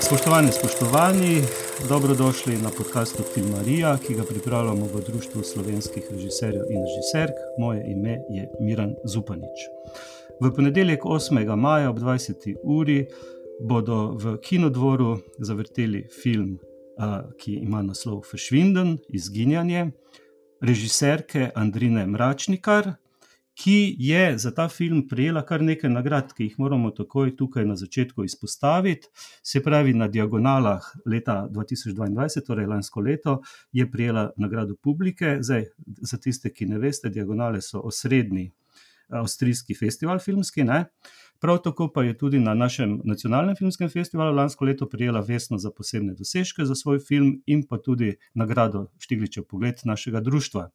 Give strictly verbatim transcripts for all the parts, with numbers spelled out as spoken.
Spoštovani, spoštovani, dobrodošli na podcastu Filmarija, ki ga pripravljamo v Društvu slovenskih režiserjev in režiserk. Moje ime je Miran Zupanič. V ponedeljek osmega maja ob dvajseti uri bodo v Kinodvoru zavrteli film, ki ima naslov Verschwinden, Izginjanje, režiserke Andrine Mračnikar, ki je za ta film prejela kar nekaj nagrad, ki jih moramo takoj tukaj na začetku izpostaviti. Se pravi, na Diagonalah leta dva tisoč dvaindvajset, torej lansko leto, je prejela nagrado publike. Zdaj, za tiste, ki ne veste, Diagonale so osrednji avstrijski festival filmski, ne? Prav tako pa je tudi na našem nacionalnem filmskem festivalu lansko leto prejela Vesno za posebne dosežke za svoj film in pa tudi nagrado Štigličev pogled našega društva.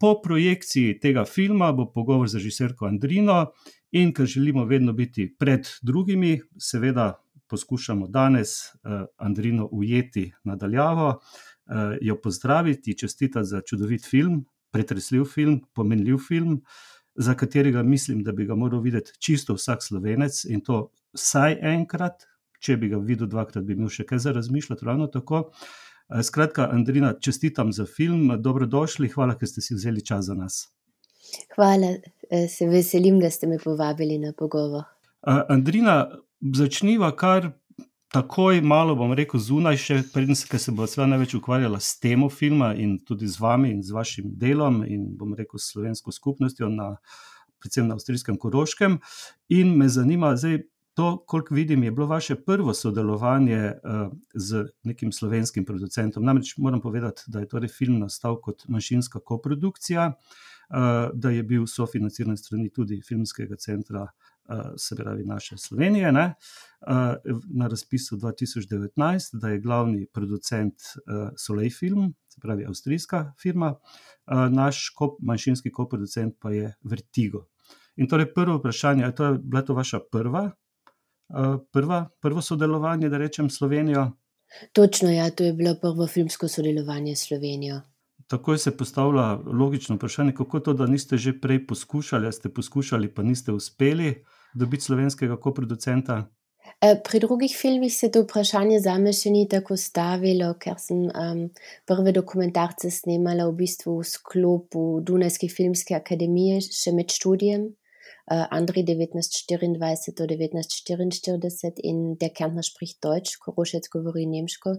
Po projekciji tega filma bo pogovor z režiserko Andrino in ker želimo vedno biti pred drugimi, seveda poskušamo danes Andrino ujeti nadaljavo, jo pozdraviti, čestitati za čudovit film, pretresljiv film, pomenljiv film, za katerega mislim, da bi ga moral videti čisto vsak Slovenec in to vsaj enkrat, če bi ga videl dvakrat, bi imel še kaj za razmišljati, ravno tako. Skratka, Andrina, čestitam za film, dobrodošli, hvala, ker ste si vzeli čas za nas. Hvala, se veselim, da ste me povabili na pogovor. Andrina, začniva kar takoj malo, bom rekel, zunaj še, preden se, ker se bo sva največ ukvarjala s temo filma in tudi z vami in z vašim delom in, bom rekel, s slovensko skupnostjo, na, predvsem na avstrijskem Koroškem. In me zanima, zdaj, to, koliko vidim, je bilo vaše prvo sodelovanje uh, z nekim slovenskim producentom. Namreč moram povedati, da je torej film nastal kot manjšinska koprodukcija, uh, da je bil sofinanciran strani tudi Filmskega centra, uh, se pravi naše Slovenije, ne? Uh, na razpisu dva tisoč devetnajst, da je glavni producent uh, Soleil Film, se pravi avstrijska firma, uh, naš kop, manjšinski koproducent pa je Vertigo. In torej prvo vprašanje, je to, bila to vaša prva Prva, prvo sodelovanje, da rečem, s Slovenijo? Točno, ja, to je bilo prvo filmsko sodelovanje s Slovenijo. Takoj se postavlja logično vprašanje, kako to, da niste že prej poskušali, a ste poskušali, pa niste uspeli dobiti slovenskega koproducenta? Pri drugih filmih se to vprašanje zame še ni tako stavilo, ker sem um, prve dokumentarce snemala v bistvu v sklopu Dunajske filmske akademije še med študijem. Uh, Andri devetnajst štiriindvajset do devetnajst štiriinštirideset in Der Kärntner spricht Deutsch, Korošec govori nemško.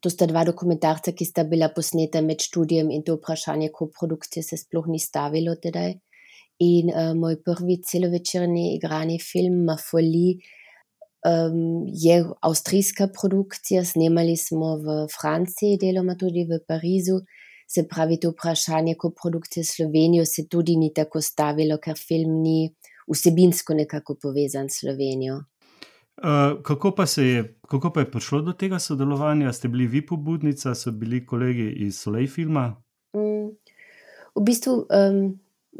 To sta dva dokumentarca, ki sta bila posneta med študijem in to vprašanje koprodukcije se sploh ni stavilo tedaj. In uh, moj prvi celovečerni igrani film Ma Folie um, je avstrijska produkcija, snemali smo v Franciji, deloma tudi v Parizu. Se pravi, to vprašanje koprodukcije s Slovenijo se tudi ni tako stavilo, ker film ni vsebinsko nekako povezan s Slovenijo. Uh, kako pa se je, kako pa je prišlo do tega sodelovanja? Ste bili vi pobudnica, so bili kolegi iz Soleil Filma? Mm, v bistvu, um,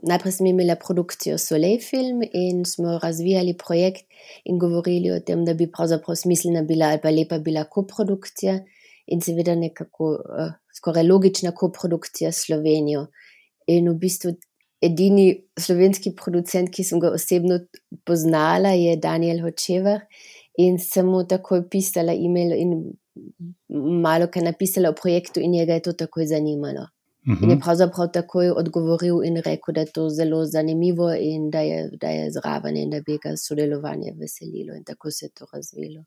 najprej sem imela produkcijo Soleil Film in smo razvijali projekt in govorili o tem, da bi pravzaprav smiselna bila ali pa lepa bila koprodukcija in seveda nekako uh, skoraj logična koprodukcija s Slovenijo. In v bistvu edini slovenski producent, ki sem ga osebno poznala, je Daniel Hočevar in sem mu takoj pisala e-mail in malo kaj napisala o projektu in njega je to takoj zanimalo. Uh-huh. In je pravzaprav takoj odgovoril in rekel, da je to zelo zanimivo in da je, da je zraven in da bi ga sodelovanje veselilo in tako se je to razvilo.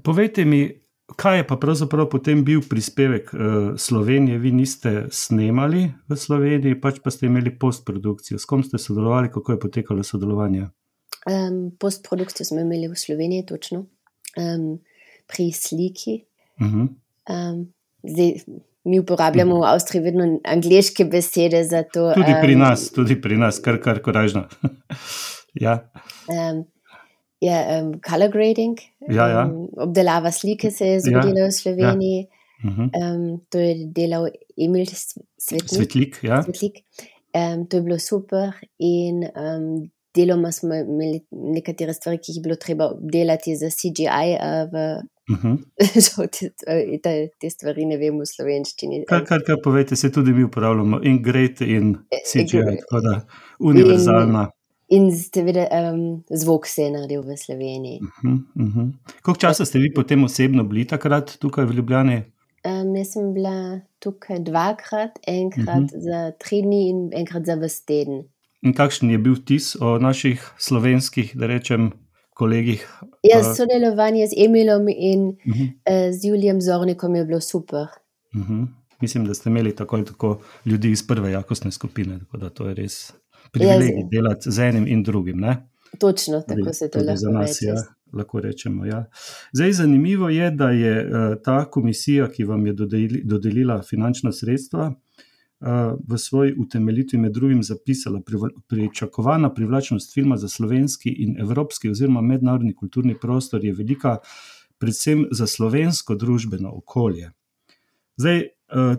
Povejte mi, kaj je pa pravzaprav potem bil prispevek uh, Slovenije? Vi niste snemali v Sloveniji, pač pa ste imeli postprodukcijo. S kom ste sodelovali, kako je potekalo sodelovanje? Um, postprodukcijo smo imeli v Sloveniji, točno. Um, pri sliki. Uh-huh. Um, zdaj, mi uporabljamo uh-huh. v Avstriji vedno angleške besede za to. Tudi um, pri nas, tudi pri nas, kar, kar koražno. ja. Um, Ja, um, color grading, ja, ja. Um, obdelava slike se je zgodila ja, v Sloveniji. Ja. Uh-huh. Um, to je delal Emil Svetlik. Svetlik, ja. Svetlik. Um, to je bilo super in um, deloma smo imeli nekatere stvari, ki jih je bilo treba obdelati za C G I. Uh, v, uh-huh. te, te, te stvari ne vem v slovenščini. Kar, kar, kar povejte, se tudi mi uporabljamo in grade in C G I, tako da univerzalna. In seveda um, zvok se je naredil v Sloveniji. Uh-huh, uh-huh. Koliko časa ste vi potem osebno bili takrat tukaj v Ljubljani? Um, jaz sem bila tukaj dvakrat, enkrat uh-huh. za tri dni in enkrat za ves teden. In kakšen je bil vtis o naših slovenskih, da rečem, kolegih? Ja, sodelovanje z Emilom in uh-huh. uh, z Julijem Zornikom je bilo super. Uh-huh. Mislim, da ste imeli tako ali tako ljudi iz prve jakostne skupine, tako da to je res privilegij ja, delati z enim in drugim, ne? Točno, tako tudi, se to lahko nas, reče. Ja, lahko rečemo, ja. Zdaj, zanimivo je, da je uh, ta komisija, ki vam je dodeli, dodelila finančna sredstva, uh, v svoji utemeljitvi med drugim zapisala pri, pričakovana privlačnost filma za slovenski in evropski oziroma mednarodni kulturni prostor je velika predvsem za slovensko družbeno okolje. Zdaj,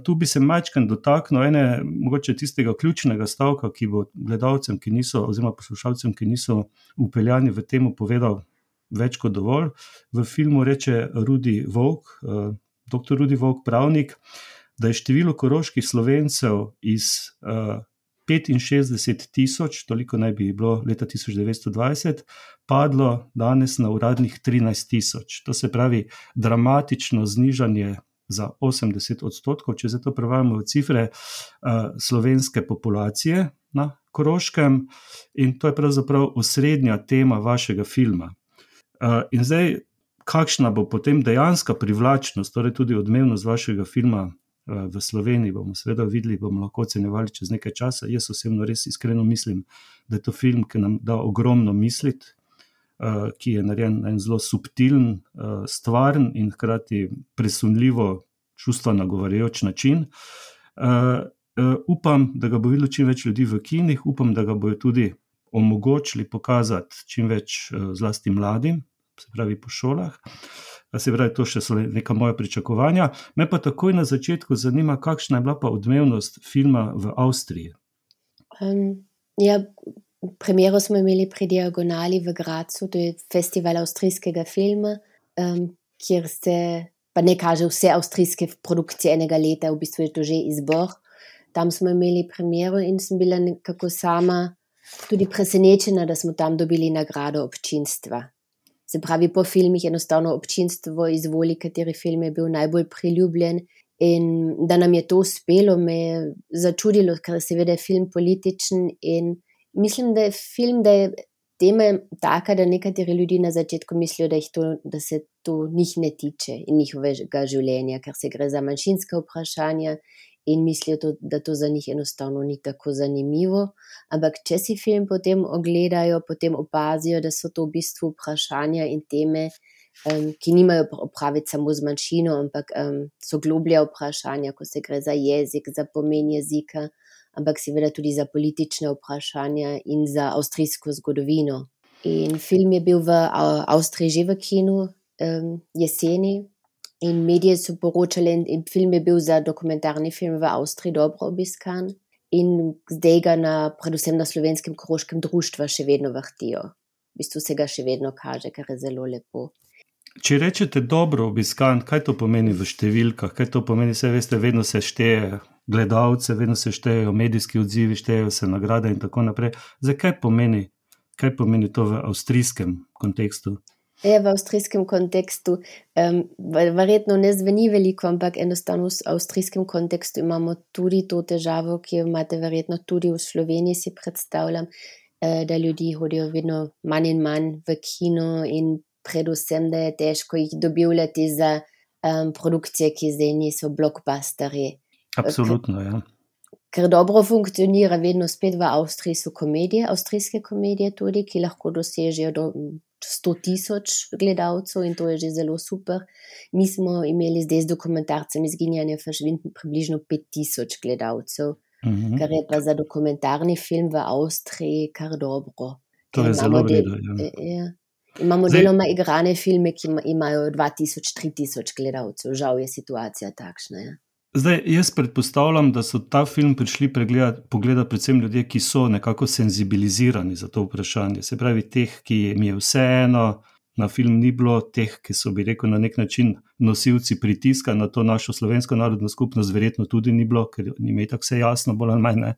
tu bi se majčkeno dotaknil ene, mogoče tistega ključnega stavka, ki bo gledalcem, ki niso, oziroma poslušalcem, ki niso upeljani v temu, povedal več kot dovolj. V filmu reče Rudi Volk, doktor Rudi Volk, pravnik, da je število koroških Slovencev iz petinšestdeset tisoč, toliko naj bi bilo leta tisoč devetsto dvajset, padlo danes na uradnih trinajst tisoč. To se pravi dramatično znižanje za osemdeset odstotkov, če se to prevajamo v cifre uh, slovenske populacije na Koroškem, in to je pravzaprav osrednja tema vašega filma. Uh, in zdaj, kakšna bo potem dejanska privlačnost, torej tudi odmevnost vašega filma uh, v Sloveniji, bomo seveda videli, bomo lahko ocenjevali čez nekaj časa. Jaz osebno res iskreno mislim, da je to film, ki nam da ogromno misliti, Uh, ki je narejen na en zelo subtilen, uh, stvaren in hkrati presunljivo čustva nagovarjajoč način. Uh, uh, upam, da ga bo videlo čim več ljudi v kinih, upam, da ga bojo tudi omogočili pokazati čim več uh, zlasti mladim, se pravi po šolah. Se pravi, to še so neka moja pričakovanja. Me pa takoj na začetku zanima, kakšna je bila pa odmevnost filma v Avstriji. Um, ja, Premiero smo imeli pri Diagonali v Gracu, to je festival avstrijskega filma, um, kjer se pa ne kaže vse avstrijske produkcije enega leta, v bistvu je to že izbor. Tam smo imeli premiero in sem bila nekako sama tudi presenečena, da smo tam dobili nagrado občinstva. Se pravi, po filmih enostavno občinstvo izvoli, kateri film je bil najbolj priljubljen, in da nam je to uspelo, me je začudilo, ker seveda je film političen in mislim, da je film, da je tema taka, da nekateri ljudi na začetku mislijo, da, to, da se to njih ne tiče in njihovega življenja, ker se gre za manjšinska vprašanja in mislijo, to, da to za njih enostavno ni tako zanimivo. Ampak če si film potem ogledajo, potem opazijo, da so to v bistvu vprašanja in teme, um, ki nimajo opraviti samo z manjšino, ampak um, so globlja vprašanja, ko se gre za jezik, za pomen jezika, ampak seveda tudi za politične vprašanja in za avstrijsko zgodovino. In film je bil v Avstriji že v kinu um, jeseni in medije so poročali, in film je bil za dokumentarni film v Avstriji dobro obiskan in zdaj ga na, predvsem na Slovenskem koroškem društvu še vedno vrtijo. V bistvu se ga še vedno kaže, kar je zelo lepo. Če rečete dobro obiskan, kaj to pomeni v številkah? Kaj to pomeni? Vse veste, vedno se šteje gledalce, vedno se štejejo medijski odzivi, štejejo se nagrade in tako naprej. Zdaj, kaj pomeni, kaj pomeni to v avstrijskem kontekstu? Ja, v avstrijskem kontekstu um, verjetno ne zveni veliko, ampak enostavno v avstrijskem kontekstu imamo tudi to težavo, ki jo imate verjetno tudi v Sloveniji, si predstavljam, uh, da ljudi hodijo vedno manj in manj v kino in predvsem, da je težko jih dobivljati za um, produkcije, ki zdaj niso blockbusteri. Absolutno, ja. Ker dobro funkcionira vedno spet v Avstriji so komedije, avstrijske komedije tudi, ki lahko dosežejo do sto tisoč gledalcev in to je že zelo super. Mi smo imeli zdaj z dokumentarcem Izginjanje verschwinden približno pet tisoč gledalcev, mm-hmm. kar je pa za dokumentarni film v Avstriji kar dobro. To je zelo vredo, ja. ja. Imamo Zdaj, deloma igrane filme, ki imajo dva tisoč, tri tisoč gledalcev. Žal je situacija takšna. Ja. Zdaj, jaz predpostavljam, da so ta film prišli pogledati predvsem ljudje, ki so nekako senzibilizirani za to vprašanje. Se pravi, teh, ki jim je vseeno, na film ni bilo, teh, ki so, bi rekel, na nek način nosilci pritiska na to našo slovensko narodno skupnost, verjetno tudi ni bilo, ker njim je tako vse jasno, bolj ali manj ne.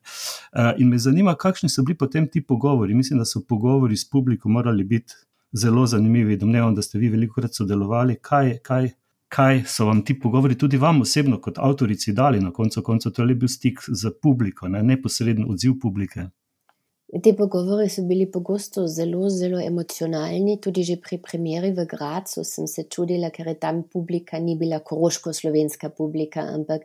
In me zanima, kakšni so bili potem ti pogovori. Mislim, da so pogovori s publiko morali biti zelo zanimivi. Domnevam, da ste vi velikokrat sodelovali. Kaj, kaj, kaj so vam ti pogovori tudi vam osebno kot avtorici dali na koncu koncev? To je bil stik z publiko, ne? Neposreden odziv publike. Te pogovori so bili pogosto zelo, zelo emocionalni, tudi že pri premieri v Gracu sem se čudila, ker je tam publika ni bila koroško-slovenska publika, ampak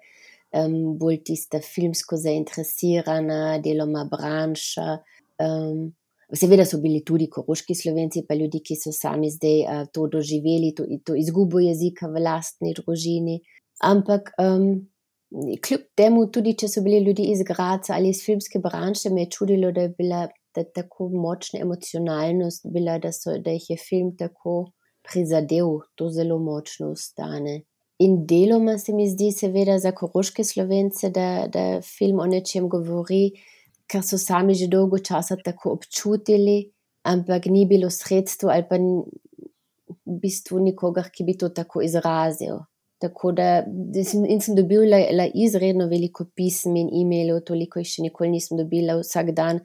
um, bolj tista filmsko zainteresirana, deloma branša. Um, seveda so bili tudi koroški Slovenci, pa ljudi, ki so sami zdaj uh, to doživeli, to, to izgubo jezika v lastni družini, ampak um, kljub temu, tudi če so bili ljudi iz Graca ali iz filmske branše, me je čudilo, da je bila da tako močna emocionalnost bila, da, so, da jih je film tako prizadel, to zelo močno ostane. In deloma se mi zdi seveda za koroške Slovence, da, da film o nečem govori, kar so sami že dolgo časa tako občutili, ampak ni bilo sredstvo ali pa v bistvu nikogar, ki bi to tako izrazil. Tako da in sem dobila izredno veliko pism in e-mailov, toliko jih še nikoli nisem dobila vsak dan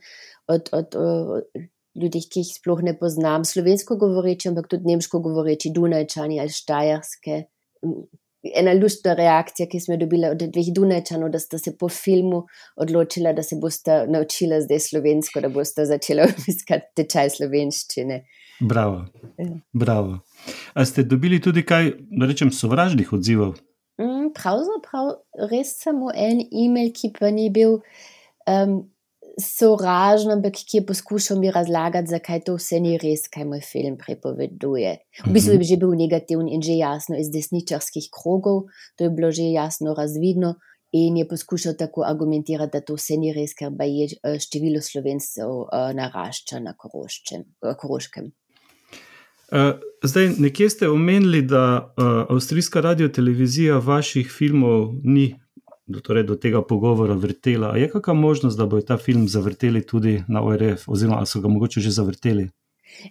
od, od, od ljudi, ki jih sploh ne poznam, slovensko govoreči, ampak tudi nemško govoreči, Dunajčani ali Štajerske. Ena luštna reakcija, ki sem jo dobila od dveh Dunajčanov, da sta se po filmu odločila, da se bosta naučila zdaj slovensko, da bosta začela obiskati tečaj slovenščine. Bravo, bravo. A ste dobili tudi kaj, da rečem, sovražnih odzivov? Mm, pravzaprav res samo en e-mail, ki pa ni bil um, sovražen, ampak ki je poskušal mi razlagati, zakaj to vse ni res, kaj moj film prepoveduje. V bistvu je že bil negativen in že jasno iz desničarskih krogov, to je bilo že jasno razvidno in je poskušal tako argumentirati, da to vse ni res, ker pa je število Slovencev uh, narašča na Koroščem, uh, Koroškem. Uh, zdaj, nekje ste omenili, da uh, avstrijska radiotelevizija vaših filmov ni do, torej do tega pogovora vrtela. A je kakšna možnost, da bojo ta film zavrteli tudi na O R F, oziroma so ga mogoče že zavrteli?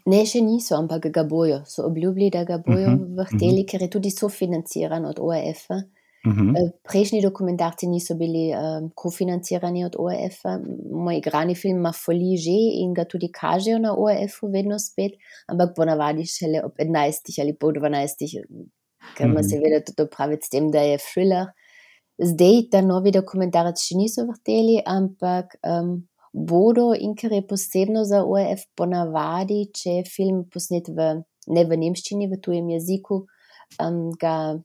Ne, še niso, ampak ga bojo. So obljubili, da ga bojo uh-huh, vrteli, uh-huh. ker je tudi sofinanciran od O R F-a. Uh-huh. Prejšnji dokumentarci niso bili um, kofinancirani od O R F-a. Moj igrani film ima Foli že in ga tudi kažejo na O R F-u vedno spet, ampak ponavadi šele ob enajstih ali pol dvanajstih, ker ima uh-huh. seveda tudi opraviti s tem, da je thriller. Zdaj ta novi dokumentarec še niso vrteli, ampak um, bodo, in ker je posebno za O R F ponavadi, če je film posnet v, ne v nemščini, v tujem jeziku, um, ga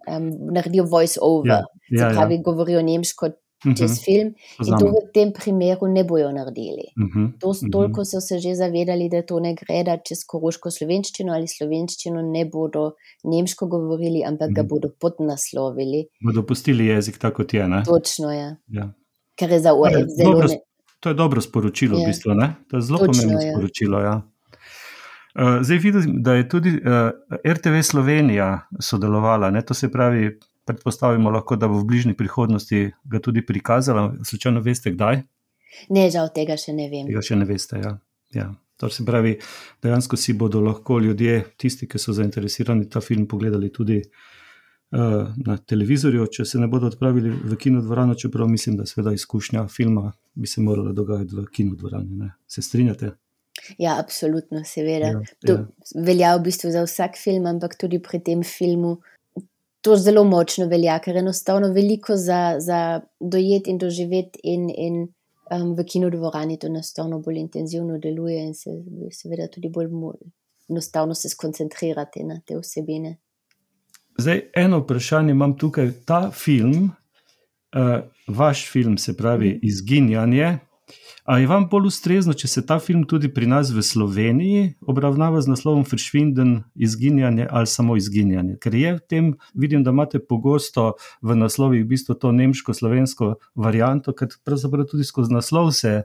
Um, naredijo voice over, ja, ja, se pravi, ja. govorijo nemško čez uh-huh. film in to v tem primeru ne bojo naredili. Uh-huh. To, toliko so se že zavedali, da to ne gre, da čez koroško slovenščino ali slovenščino ne bodo nemško govorili, ampak uh-huh. ga bodo podnaslovili. Bodo pustili jezik tako, kot je, ne? Točno, ja. ja. Ker je za O R F zelo... Dobro, to je dobro sporočilo, ja. v bistvu, ne? To je zelo pomembno ja. sporočilo, ja. Uh, zdaj vidim, da je tudi uh, R T V Slovenija sodelovala, ne? To se pravi, predpostavimo lahko, da bo v bližnji prihodnosti ga tudi prikazala. Slučajno veste, kdaj? Ne, žal tega še ne vem. Tega še ne veste, ja. ja. To se pravi, dejansko si bodo lahko ljudje, tisti, ki so zainteresirani, ta film pogledali tudi uh, na televizorju, če se ne bodo odpravili v kinodvorano, čeprav mislim, da seveda izkušnja filma bi se morala dogajati v kinodvorani, ne? Se strinjate? Ja, absolutno, seveda. Ja, to ja. velja v bistvu za vsak film, ampak tudi pri tem filmu to zelo močno velja, ker enostavno veliko za, za dojeti in doživeti in, in um, v kinodvorani to enostavno bolj intenzivno deluje in se seveda tudi bolj enostavno se skoncentrirati na te vsebine. Zdaj, eno vprašanje imam tukaj. Ta film, uh, vaš film, se pravi mm. Izginjanje, a je vam bolj ustrezno, če se ta film tudi pri nas v Sloveniji obravnava z naslovom Verschwinden, izginjanje ali samo izginjanje? Ker je v tem, vidim, da imate pogosto v naslovih v bistvu to nemško-slovensko varianto, ker pravzaprav tudi skozi naslov se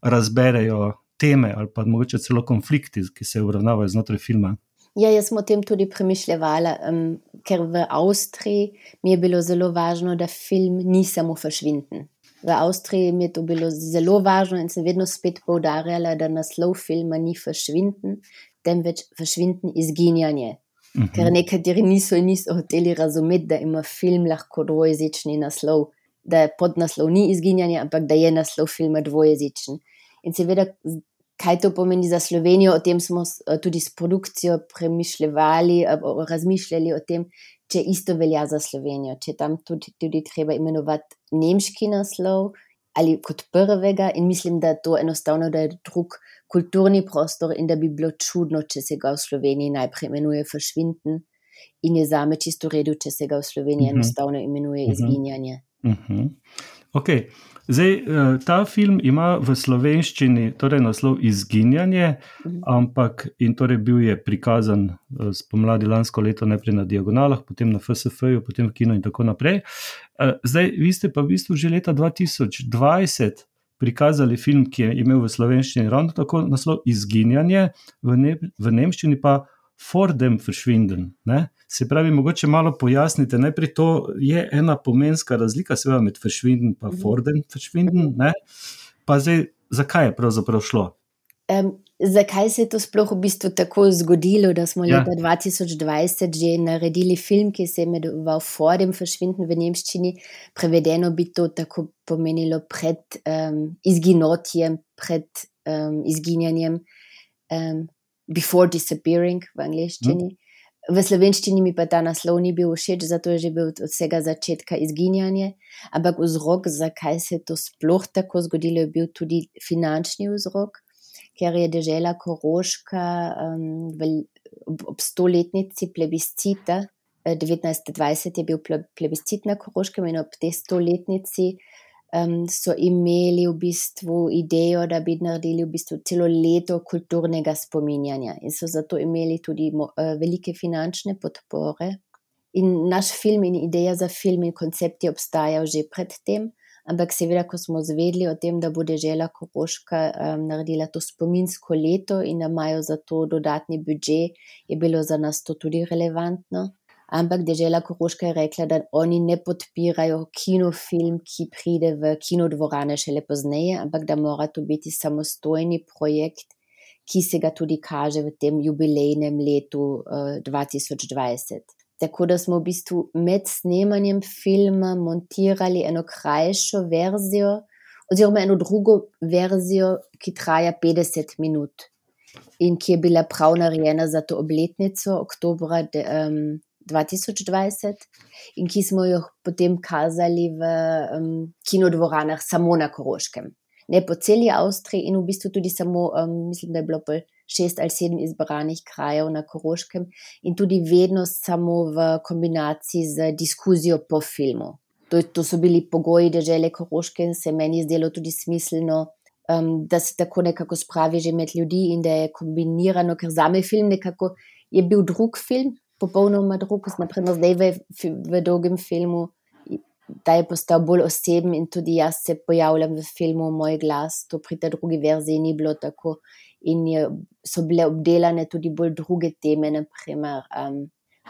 razberejo teme ali pa mogoče celo konflikti, ki se obravnavajo znotraj filma. Ja, jaz sem o tem tudi premišljevala, um, ker v Avstriji mi je bilo zelo važno, da film ni samo Verschwinden. V Avstriji mi je to bilo zelo važno in sem vedno spet poudarjala, da naslov filma ni Verschwinden, temveč Verschwinden, izginjanje. Uh-huh. Ker nekateri niso in niso hoteli razumeti, da ima film lahko dvojezični naslov, da podnaslov ni izginjanje, ampak da je naslov filma dvojezičen. In seveda, kaj to pomeni za Slovenijo, o tem smo tudi s produkcijo premišljevali, razmišljali o tem, če isto velja za Slovenijo, če tam tudi, tudi treba imenovati nemški naslov ali kot prvega, in mislim, da to enostavno, da je drug kulturni prostor in da bi bilo čudno, če se ga v Sloveniji najprej imenuje Verschwinden in je zame čisto v redu, če se ga v Sloveniji uh-huh. enostavno imenuje uh-huh. izginjanje. Uh-huh. Ok, zdaj ta film ima v slovenščini torej naslov Izginjanje, uh-huh. ampak in torej bil je prikazan spomladi lansko leto najprej na Diagonalah, potem na F S F-ju, potem v kino in tako naprej. Zdaj, vi ste pa v bistvu že leta dva tisoč dvajset prikazali film, ki je imel v slovenščini ravno tako naslov Izginjanje, v, ne, v nemščini pa Vor dem Verschwinden. Ne? Se pravi, mogoče malo pojasnite, najprej to je ena pomenska razlika seveda med Verschwinden pa Vor dem Verschwinden, ne? Pa zdaj, zakaj je pravzaprav šlo? Um, zakaj se je to sploh v bistvu tako zgodilo, da smo ja. leta dva tisoč dvajset že naredili film, ki se je imenoval Vor dem Verschwinden v nemščini, prevedeno bi to tako pomenilo pred um, izginotjem, pred um, izginjanjem, um, before disappearing v angleščini. Hmm. V slovenščini mi pa ta naslov ni bil všeč, zato je že bil od vsega začetka Izginjanje, ampak vzrok, zakaj se je to sploh tako zgodilo, je bil tudi finančni vzrok, ker je dežela Koroška um, v, ob, ob stoletnici plebiscita, devetnajststo dvajset je bil plebiscit na Koroškem in ob tej stoletnici um, so imeli v bistvu idejo, da bi naredili v bistvu celo leto kulturnega spominjanja in so zato imeli tudi mo, uh, velike finančne podpore. In naš film in ideja za film in koncept je obstajal že pred tem, ampak seveda, ko smo zvedeli o tem, da bo dežela Koroška um, naredila to spominsko leto in da imajo za to dodatni budžet, je bilo za nas to tudi relevantno. Ampak dežela Koroška je rekla, da oni ne podpirajo kinofilm, ki pride v kinodvorane šele pozneje, ampak da mora to biti samostojni projekt, ki se ga tudi kaže v tem jubilejnem letu uh, dva tisoč dvajset. Tako da smo v bistvu med snemanjem filma montirali eno krajšo verzijo, oziroma eno drugo verzijo, ki traja petdeset minut in ki je bila prav narejena za to obletnico oktobra de, um, dva tisoč dvajset in ki smo jo potem kazali v um, kinodvoranah samo na Koroškem. Ne po celi Avstriji in v bistvu tudi samo, um, mislim, da je bilo pa šest ali sedem izbranih krajev na Koroškem in tudi vedno samo v kombinaciji z diskuzijo po filmu. To, to so bili pogoji dežele Koroške in se meni zdelo tudi smiselno, um, da se tako nekako spravi že med ljudi in da je kombinirano, ker zame film nekako je bil drug film, popolnoma drug, naprimer zdaj v, v dolgem filmu, da je postal bolj oseben in tudi jaz se pojavljam v filmu, moj glas, to pri tej drugi verziji ni bilo tako in je, so bile obdelane tudi bolj druge teme, naprimer um,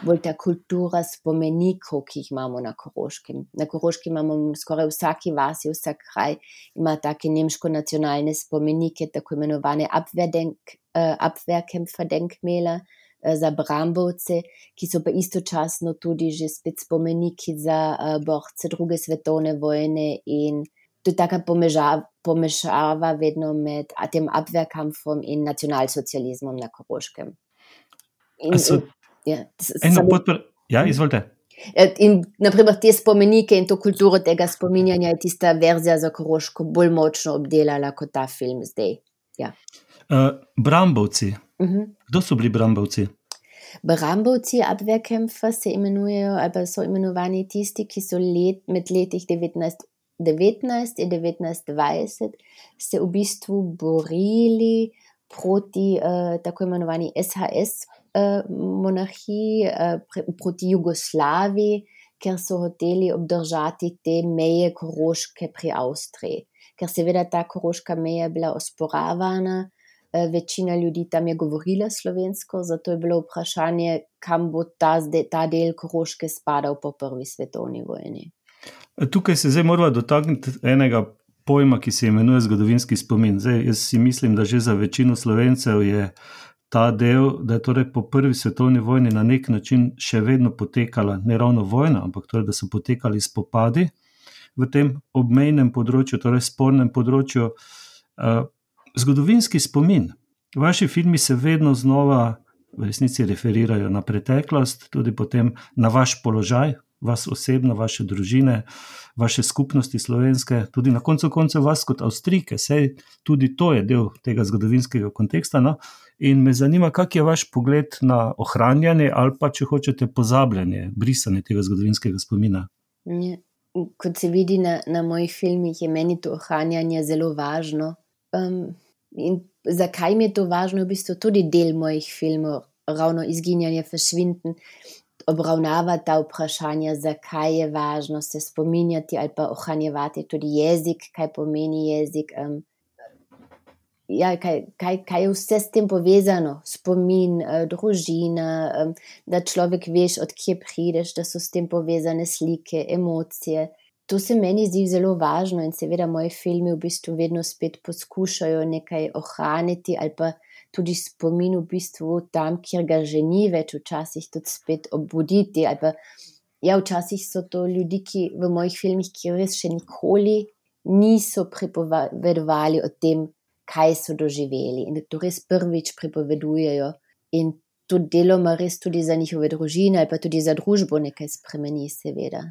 bolj ta kultura spomenikov, ki jih imamo na Koroškem. Na Koroškem imamo skoraj vsaki vasi, vsak kraj ima take nemško-nacionalne spomenike, tako imenovane Abwehrdenk, uh, Abwehrkämpferdenkmäler, za Brambovce, ki so pa istočasno tudi že spet spomeniki za uh, borce druge svetovne vojne in to je taka pomežava, pomešava vedno med tem Abwehrkampfom in nacionalsocializmom na Koroškem. In, so, in, ja, eno podpr... ja, izvolite. In naprimer te spomenike in to kulturo tega spominjanja je tista verzija za Koroško bolj močno obdelala kot ta film zdaj. Ja. Uh, Brambovci. Uh-huh. Kdo so bili Brambovci? Brambovci, Abwehrkämpfer se imenujejo, ali so imenovani tisti, ki so let, med letih devetnajst devetnajst in devetnajst dvajset se v bistvu borili proti uh, tako imenovani S H S uh, monarhiji, uh, proti Jugoslaviji, ker so hoteli obdržati te meje Koroške pri Avstriji. Ker seveda ta koroška meja je bila osporavana, večina ljudi tam je govorila slovensko, zato je bilo vprašanje, kam bo ta, ta del Koroške spadal po prvi svetovni vojni. Tukaj se zdaj moramo dotakniti enega pojma, ki se imenuje zgodovinski spomin. Zdaj, jaz si mislim, da že za večino Slovencev je ta del, da je torej po prvi svetovni vojni na nek način še vedno potekala, ne ravno vojna, ampak torej, da so potekali spopadi v tem obmejnem področju, torej spornem področju. Uh, zgodovinski spomin. Vaši filmi se vedno znova v resnici referirajo na preteklost, tudi potem na vaš položaj, vas osebno, vaše družine, vaše skupnosti slovenske, tudi na koncu koncev vas kot Avstrijke, saj tudi to je del tega zgodovinskega konteksta, no? In me zanima, kak je vaš pogled na ohranjanje ali pa, če hočete, pozabljanje, brisanje tega zgodovinskega spomina. Ja. Kot se vidi na, na mojih filmih, je meni to ohranjanje zelo važno. Um, in zakaj mi je to važno? V bistvu tudi del mojih filmov, ravno Izginjanje, Verschwinden, obravnava ta vprašanja, zakaj je važno se spominjati ali pa ohranjevati tudi jezik, kaj pomeni jezik. Um, ja, kaj, kaj, kaj je vse s tem povezano, spomin, uh, družina, um, da človek veš, od kje prideš, da so s tem povezane slike, emocije. To se meni zdi zelo važno in seveda moji filmi v bistvu vedno spet poskušajo nekaj ohraniti ali pa tudi spomin v bistvu tam, kjer ga že ni več, včasih tudi spet obuditi. Ali pa, ja, včasih so to ljudi, ki v mojih filmih, ki res še nikoli niso pripovedovali o tem, kaj so doživeli in da to res prvič pripovedujejo in to deloma res tudi za njihove družine ali pa tudi za družbo nekaj spremeni, seveda.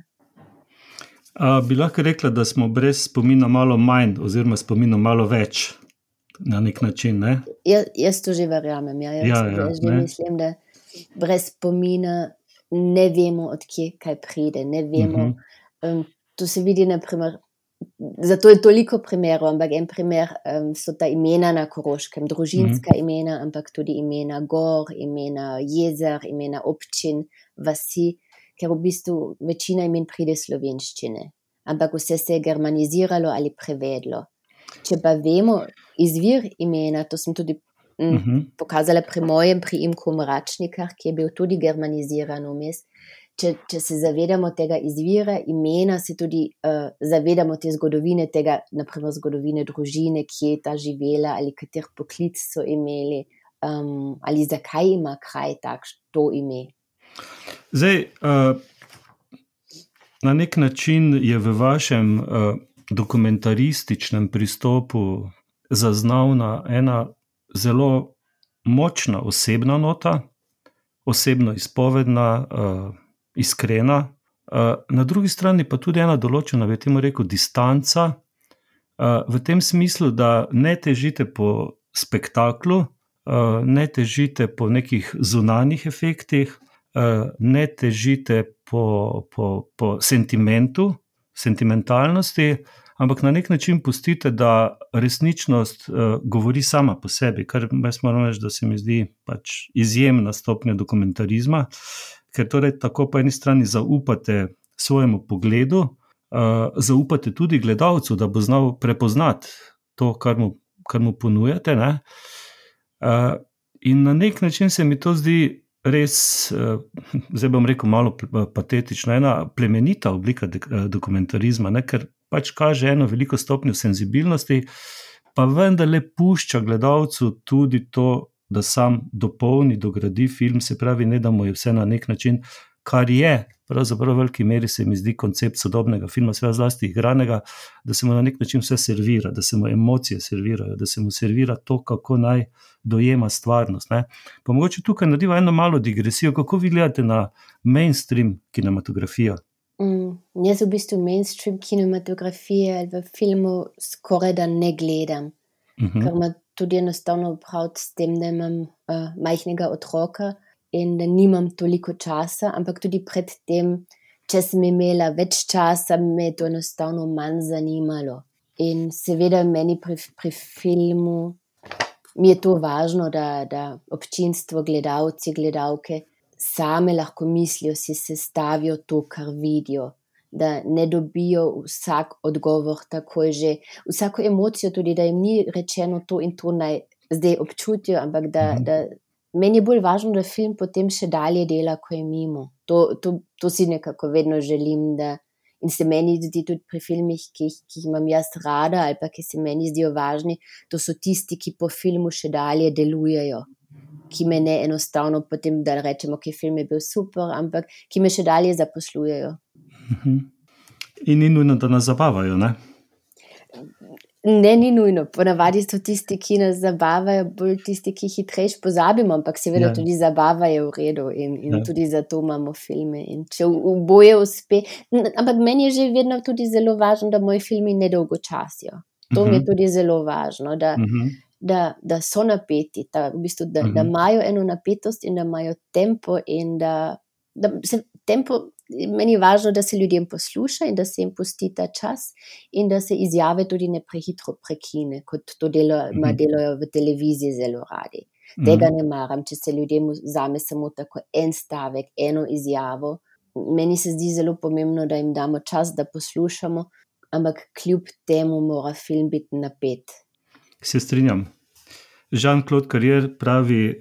A, bi lahko rekla, da smo brez spomina malo manj oziroma spomina malo več na nek način, ne? Ja, jaz to že verjamem, ja, jaz, Ja, ja, jaz že ne. mislim, da brez spomina ne vemo, od kje kaj pride, ne vemo. Mhm. Um, to se vidi, na primer, zato je toliko primerov, ampak en primer um, so ta imena na Koroškem, družinska imena, ampak tudi imena gor, imena jezer, imena občin, vasi, ker v bistvu večina imen pride iz slovenščine, ampak vse se je germaniziralo ali prevedlo. Če pa vemo izvir imena, to sem tudi mm, Mhm. pokazala pri mojem priimku Mračnikar, ki je bil tudi germaniziran vmes. Če, če se zavedamo tega izvira imena, se tudi uh, zavedamo te zgodovine, tega, naprimer zgodovine družine, kje je ta živela ali kater poklic so imeli, um, ali zakaj ima kraj takš to ime. Zdaj, uh, na nek način je v vašem uh, dokumentarističnem pristopu zaznavna ena zelo močna osebna nota, osebno izpovedna, uh, iskrena, uh, na drugi strani pa tudi ena določena, bi temu rekel, distanca, uh, v tem smislu, da ne težite po spektaklu, uh, ne težite po nekih zunanjih efektih, uh, ne težite po, po, po sentimentu, sentimentalnosti, ampak na nek način pustite, da resničnost uh, govori sama po sebi, kar jaz moram reči, da se mi zdi pač izjemna stopnja dokumentarizma, ker torej tako po eni strani zaupate svojemu pogledu, uh, zaupate tudi gledalcu, da bo znal prepoznati to, kar mu, kar mu ponujate, ne? Uh, in na nek način se mi to zdi res, uh, zdaj bom rekel malo patetično, ena plemenita oblika de- dokumentarizma, ne? Ker pač kaže eno veliko stopnjo senzibilnosti, pa vendarle pušča gledalcu tudi to, da sam dopolni, dogradi film, se pravi, ne da mu je vse na nek način, kar je, pravzaprav v veliki meri se mi zdi koncept sodobnega filma, seveda zlasti igranega, da se mu na nek način vse servira, da se mu emocije servirajo, da se mu servira to, kako naj dojema stvarnost, ne. Pa mogoče tukaj narediva eno malo digresijo, kako vi gledate na mainstream kinematografijo? Mm, jaz v bistvu mainstream kinematografije ali v filmu skoraj da ne gledam, Mhm. ker ima tudi enostavno opraviti s tem, da imam uh, majhnega otroka in da nimam toliko časa, ampak tudi pred tem, če sem imela več časa, me je to enostavno manj zanimalo. In seveda meni pri, pri filmu mi je to važno, da, da občinstvo, gledalci, gledalke same lahko mislijo, si sestavijo to, kar vidijo, da ne dobijo vsak odgovor takoj že, vsako emocijo tudi, da jim ni rečeno to in to naj zdaj občutijo, ampak da, Mhm. da meni je bolj važno, da film potem še dalje dela, ko je mimo. To, to, to si nekako vedno želim, da in se meni zdi tudi pri filmih, ki jih, ki jih imam jaz rada ali pa ki se meni zdijo važni, to so tisti, ki po filmu še dalje delujejo. ki me ne enostavno potem, da rečemo, ki film je bil super, ampak ki me še dalje zaposlujejo. In ni nujno, da nas zabavajo, ne? Ne, ni nujno. Ponavadi so tisti, ki nas zabavajo, bolj tisti, ki hitrejš pozabimo, ampak seveda ja. Tudi zabava je v redu in, in ja. Tudi zato imamo filme. In če oboje uspe, ampak meni je že vedno tudi zelo važno, da moji filmi ne dolgočasijo. To uh-huh. mi je tudi zelo važno, da, uh-huh. da, da so napeti, da, v bistvu, da, uh-huh. da imajo eno napetost in da imajo tempo in da, da se tempo, meni je važno, da se ljudem posluša in da se jim pusti ta čas in da se izjave tudi ne prehitro prekine, kot to delo, uh-huh. delajo v televiziji zelo radi. Uh-huh. Tega ne maram, če se ljudem vzame samo tako en stavek, eno izjavo. Meni se zdi zelo pomembno, da jim damo čas, da poslušamo, ampak kljub temu mora film biti napet. Se strinjam. Jean-Claude Carrière pravi,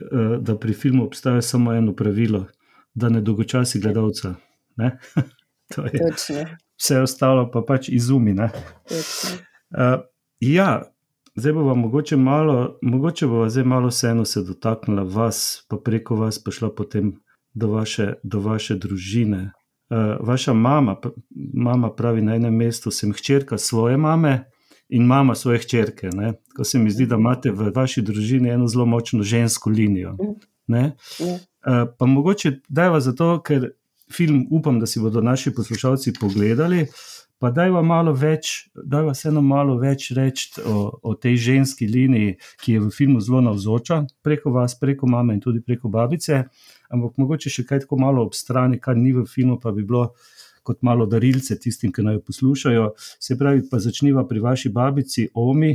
da pri filmu obstaja samo eno pravilo, da ne dolgočasi gledalca. Ne? To je Točno. Vse ostalo pa pač izumi. Ne? Uh, ja, zdaj bova mogoče malo, mogoče bova zdaj malo vseeno se dotaknila vas, pa preko vas pa šla potem do vaše, do vaše družine. Uh, vaša mama, mama pravi na enem mestu, sem hčerka svoje mame in mama svoje hčerke. Ne? Tako se mi zdi, da imate v vaši družini eno zelo močno žensko linijo. Ne? Uh, pa mogoče dajva zato, ker film upam, da si bodo naši poslušalci pogledali, pa dajva malo več, dajva vseeno malo več reči o, o tej ženski liniji, ki je v filmu zelo navzoča, preko vas, preko mame in tudi preko babice, ampak mogoče še kaj tako malo ob strani, kar ni v filmu, pa bi bilo kot malo darilce tistim, ki naj jo poslušajo. Se pravi, pa začniva pri vaši babici Omi,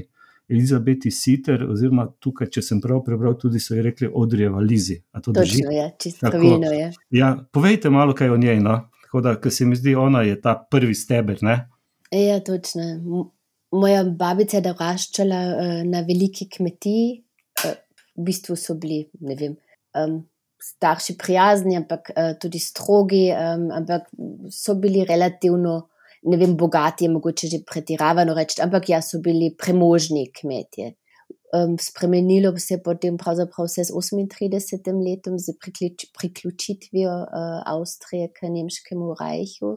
Elizabeti Sitter, oziroma tukaj, če sem prav prebral, tudi so ji rekli Odrijeva Lizi. A to drži? Točno je, čisto pravilno je. Ja, povejte malo kaj o njej, no? Tako da, ker se mi zdi, ona je ta prvi steber, ne? Ja, točno. Moja babica je doraščala uh, na veliki kmetiji, uh, v bistvu so bili, ne vem, um, starši prijazni, ampak uh, tudi strogi, um, ampak so bili relativno, ne vem, bogati je mogoče že pretiravano reči, ampak ja, so bili premožni kmetje. Um, spremenilo se je potem pravzaprav vse z osemintridesetim letom z priključ, priključitvijo uh, Avstrije k nemškemu rajhu.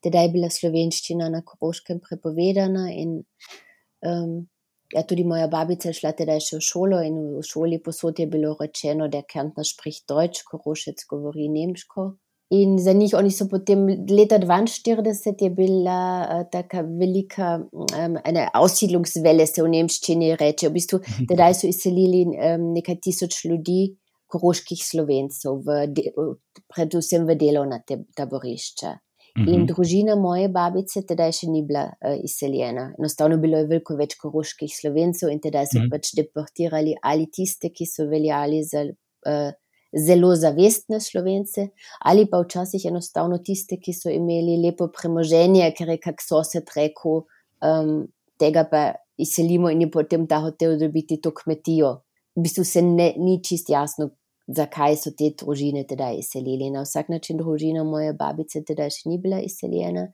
Tedaj je bila slovenščina na Koroškem prepovedana in um, ja, tudi moja babica je šla tedaj še v šolo in v šoli posod je bilo rečeno, da Kärntner spricht Deutsch, Korošec govori nemško. In za njih, oni so potem leta dvainštirideset je bila uh, taka velika um, ena aussiedlungswelle, se v nemščini reče. V bistvu, tedaj so izselili um, nekaj tisoč ljudi, koroških Slovencev, v de, predvsem v delovna te, taborišča. Mm-hmm. In družina moje babice tedaj še ni bila uh, izseljena. Enostavno bilo je veliko več koroških Slovencev in tedaj so mm-hmm. pač deportirali ali tiste, ki so veljali za uh, zelo zavestne Slovence, ali pa včasih enostavno tiste, ki so imeli lepo premoženje, ker je kak sosed rekel, um, tega pa izselimo in je potem ta hotel dobiti to kmetijo. V bistvu se ne, ni čist jasno, zakaj so te družine tedaj izselili. Na vsak način družina moje babice tedaj še ni bila izseljena,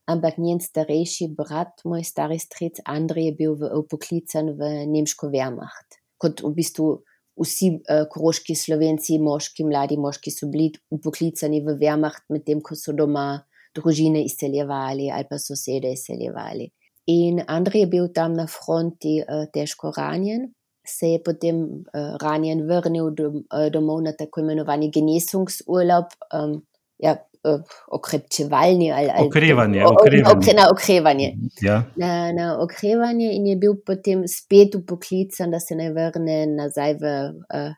ampak njen starejši brat, moj stari stric Andrej, je bil v, upoklican v nemško Wehrmacht. Kot v bistvu vsi uh, koroški Slovenci, moški, mladi moški so bili upoklicani v Wehrmacht, medtem ko so doma družine izseljevali ali pa sosede izseljevali. In Andrej je bil tam na fronti uh, težko ranjen, se je potem uh, ranjen vrnil dom, uh, domov na tako imenovani Genesungsurlaub, um, ja, uh, okrepčevalni ali, ali okrevanje, o, okrevanje. O, na okrevanje. Ja. Na, na okrevanje in je bil potem spet upoklican, da se ne vrne nazaj v uh,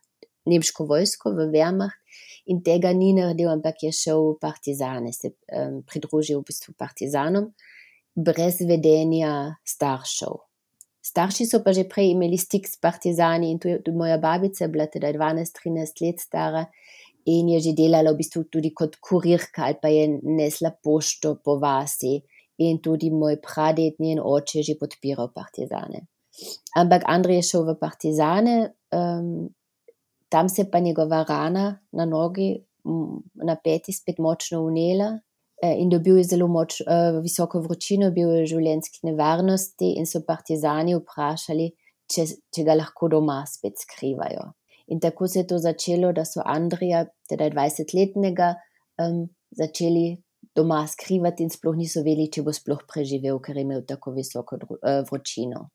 nemško vojsko, v Wehrmacht, in tega ni naredil, ampak je šel v partizane, se um, pridružil v bistvu partizanom, brez vedenja staršev. Starši so pa že prej imeli stik s partizani in tudi moja babica je bila teda dvanajst trinajst let stara in je že delala v bistvu tudi kot kurirka ali pa je nesla pošto po vasi in tudi moj praded, njen oče, je že podpiral partizane. Ampak Andrej je šel v partizane, um, tam se pa njegova rana na nogi, na peti spet močno vnela. In dobil je zelo moč, uh, visoko vročino, bil je v življenjski nevarnosti in so partizani vprašali, če, če ga lahko doma spet skrivajo. In tako se je to začelo, da so Andrija, teda dvajsetletnega, um, začeli doma skrivati in sploh niso vedeli, če bo sploh preživel, ker je imel tako visoko uh, vročino.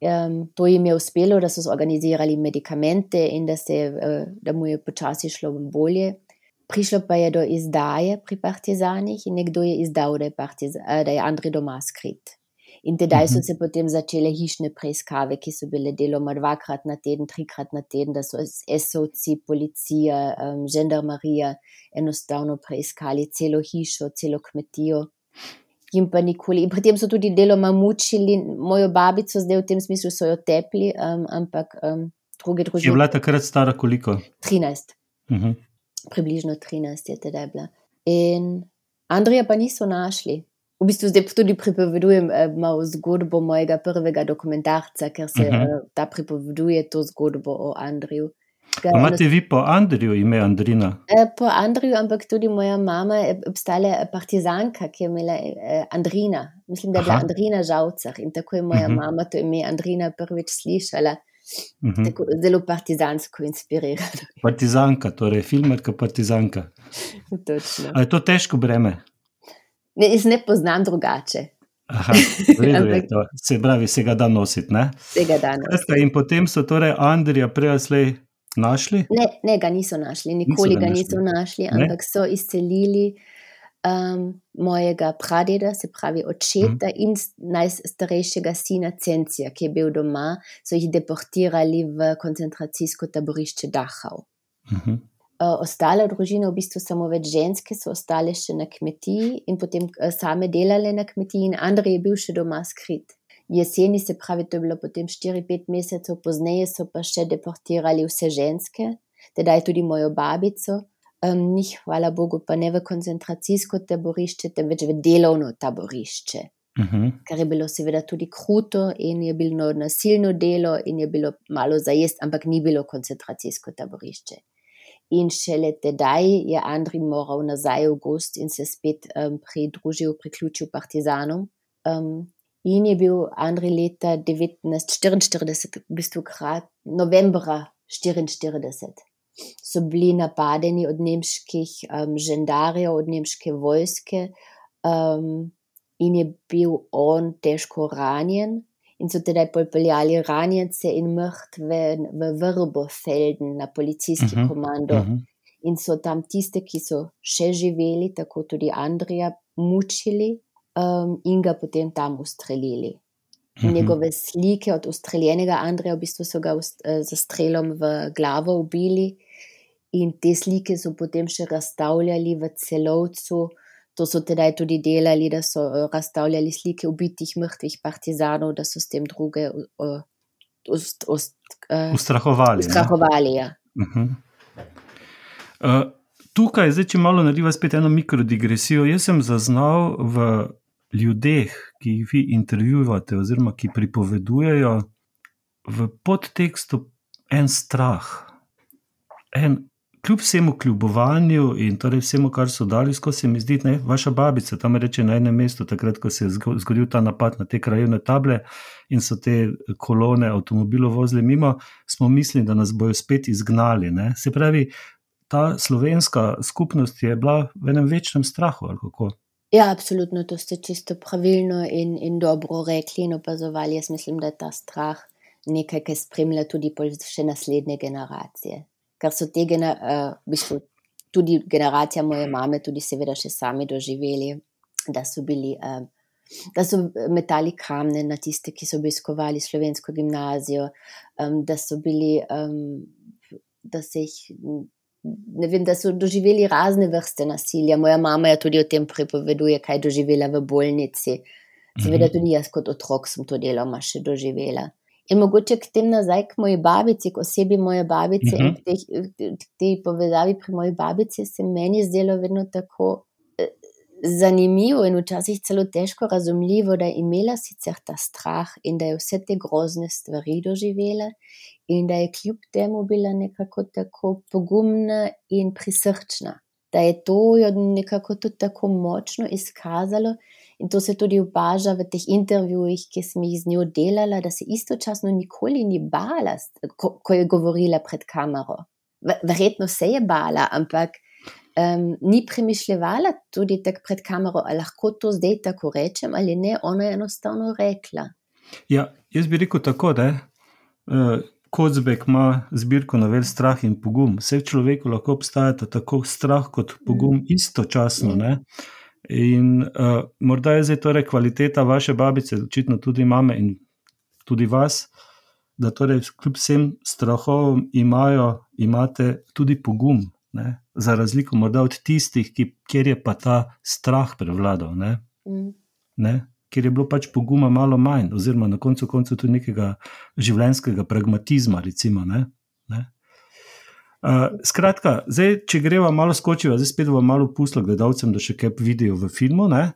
Um, to jim je uspelo, da so zorganizirali medikamente in da, se, uh, da mu je počasi šlo bolje. Prišlo pa je do izdaje pri partizanih in nekdo je izdal, da je, partiz, uh, da je Andrej doma skrit. In tedaj so se potem začele hišne preiskave, ki so bile deloma dvakrat na teden, trikrat na teden, da so esovci, policija, um, žandarmarija enostavno preiskali celo hišo, celo kmetijo. In pa nikoli. In potem so tudi deloma mučili mojo babico, zdaj v tem smislu so jo tepli, um, ampak um, druge družine. Je bila takrat stara koliko? trinajst. Uh-huh. Približno trinajst je tedaj bila. In Andrija pa niso našli. V bistvu zdaj tudi pripovedujem eh, malo zgodbo mojega prvega dokumentarca, ker se uh-huh. eh, ta pripoveduje to zgodbo o Andriju. Imate vi po Andriju ime Andrina? Eh, po Andriju, ampak tudi moja mama je obstala partizanka, ki je imela eh, Andrina. Mislim, da je bila Aha. Andrina Žavcar in tako je moja uh-huh. mama to ime Andrina prvič slišala. Uh-huh. Tako zelo partizansko inspirirana. Partizanka, torej filmerka partizanka. Točno. A je to težko breme? Ne, jaz ne poznam drugače. Aha, vredo je to. Se pravi, se ga da nositi, ne? Se ga da nositi. In potem so torej Andrija prejaslej našli? Ne, ne, ga niso našli, nikoli niso ga, ga niso našli, ne? Ampak so izcelili um, mojega pradeda, se pravi očeta hmm. in najstarejšega sina Cencija, ki je bil doma, so jih deportirali v koncentracijsko taborišče Dachau. Mhm. Uh, ostale družine, v bistvu samo več ženske, so ostale še na kmetiji in potem uh, same delale na kmetiji in Andrej je bil še doma skrit. Jeseni, se pravi, to je bilo potem štiri pet mesecev, pozneje so pa še deportirali vse ženske, tedaj tudi mojo babico, um, njih, hvala Bogu, pa ne v koncentracijsko taborišče, temveč v delovno taborišče. Uh-huh. Kar je bilo seveda tudi kruto in je bilo nasilno delo in je bilo malo za jest, ampak ni bilo koncentracijsko taborišče. In šele tedaj je Andrej moral nazaj v gost in se spet um, pridružil, priključil partizanom. Um, in je bil Andrej leta devetnajststo štiriinštirideset, v bistvu krat, novembra štiriinštirideset, so bili napadeni od nemških um, žandarjev, od nemške vojske um, in je bil on težko ranjen. In so tedaj popeljali ranjence in mrtve v Vrbofelden na policijski uh-huh, komando. Uh-huh. In so tam tiste, ki so še živeli, tako tudi Andrija, mučili um, in ga potem tam ustrelili. Uh-huh. Njegove slike od ustreljenega Andrija, v bistvu so ga ust, uh, za strelom v glavo ubili in te slike so potem še razstavljali v Celovcu. To so tedaj tudi delali, da so razstavljali slike ubitih, mrtvih partizanov, da so s tem druge uh, ust, ust, uh, ustrahovali. Ustrahovali, ja. Uh-huh. Uh, tukaj, zdaj, če malo narediva spet eno mikrodigresijo, jaz sem zaznal v ljudeh, ki jih vi intervjuvate oziroma ki pripovedujejo, v podtekstu en strah. En kljub vsemu kljubovanju in torej vsemu, kar so dali, skozi se mi zdi, ne, vaša babica tam reče na enem mestu, takrat, ko se je zgodil ta napad na te krajevne table in so te kolone avtomobilov vozili mimo, smo mislili, da nas bojo spet izgnali. Ne. Se pravi, ta slovenska skupnost je bila v enem večnem strahu, ali kako? Ja, absolutno, to ste čisto pravilno in, in dobro rekli in opazovali. Jaz mislim, da je ta strah nekaj, ki spremlja tudi še naslednje generacije. Ker so te gener, uh, v bistvu tudi generacija moje mame tudi seveda še sami doživeli, da so bili, uh, da so metali kamne na tiste, ki so obiskovali slovensko gimnazijo, um, da so bili, um, da se jih, ne vem, da so doživeli razne vrste nasilja. Moja mama je tudi o tem pripoveduje, kaj doživela v bolnici. Seveda tudi jaz kot otrok sem to deloma še doživela. In mogoče k tem nazaj k moji babici, k osebi moje babice uh-huh. in k tej, tej povezavi pri moji babici se meni zdelo vedno tako eh, zanimivo in včasih celo težko razumljivo, da je imela sicer ta strah in da je vse te grozne stvari doživela in da je kljub temu bila nekako tako pogumna in prisrčna. Da je to jo nekako tudi tako močno izkazalo in to se tudi opaža v teh intervjujih, ki sem jih z njo delala, da se istočasno nikoli ni bala, ko, ko je govorila pred kamero. Verjetno se je bala, ampak um, ni premišljevala tudi tak pred kamero, ali lahko to zdaj tako rečem ali ne, ona je enostavno rekla. Ja, jaz bi rekel tako, da uh, Kocbek ima zbirko novel Strah in pogum. Vse v človeku lahko obstajata tako strah kot pogum mm. istočasno. Mm. Ne? In uh, morda je zdaj torej kvaliteta vaše babice, očitno tudi mame in tudi vas, da torej kljub vsem strahovom imajo, imate tudi pogum, ne? Za razliko morda od tistih, ki, kjer je pa ta strah prevladal. Ne? Mm. Ne? Ker je bilo pač poguma malo manj, oziroma na koncu koncu tudi nekega življenjskega pragmatizma, recimo. Ne? Ne? Uh, skratka, zdaj, če greva malo skočiva, zdaj spet bom malo pustila gledalcem, da še kaj vidijo v filmu, ne?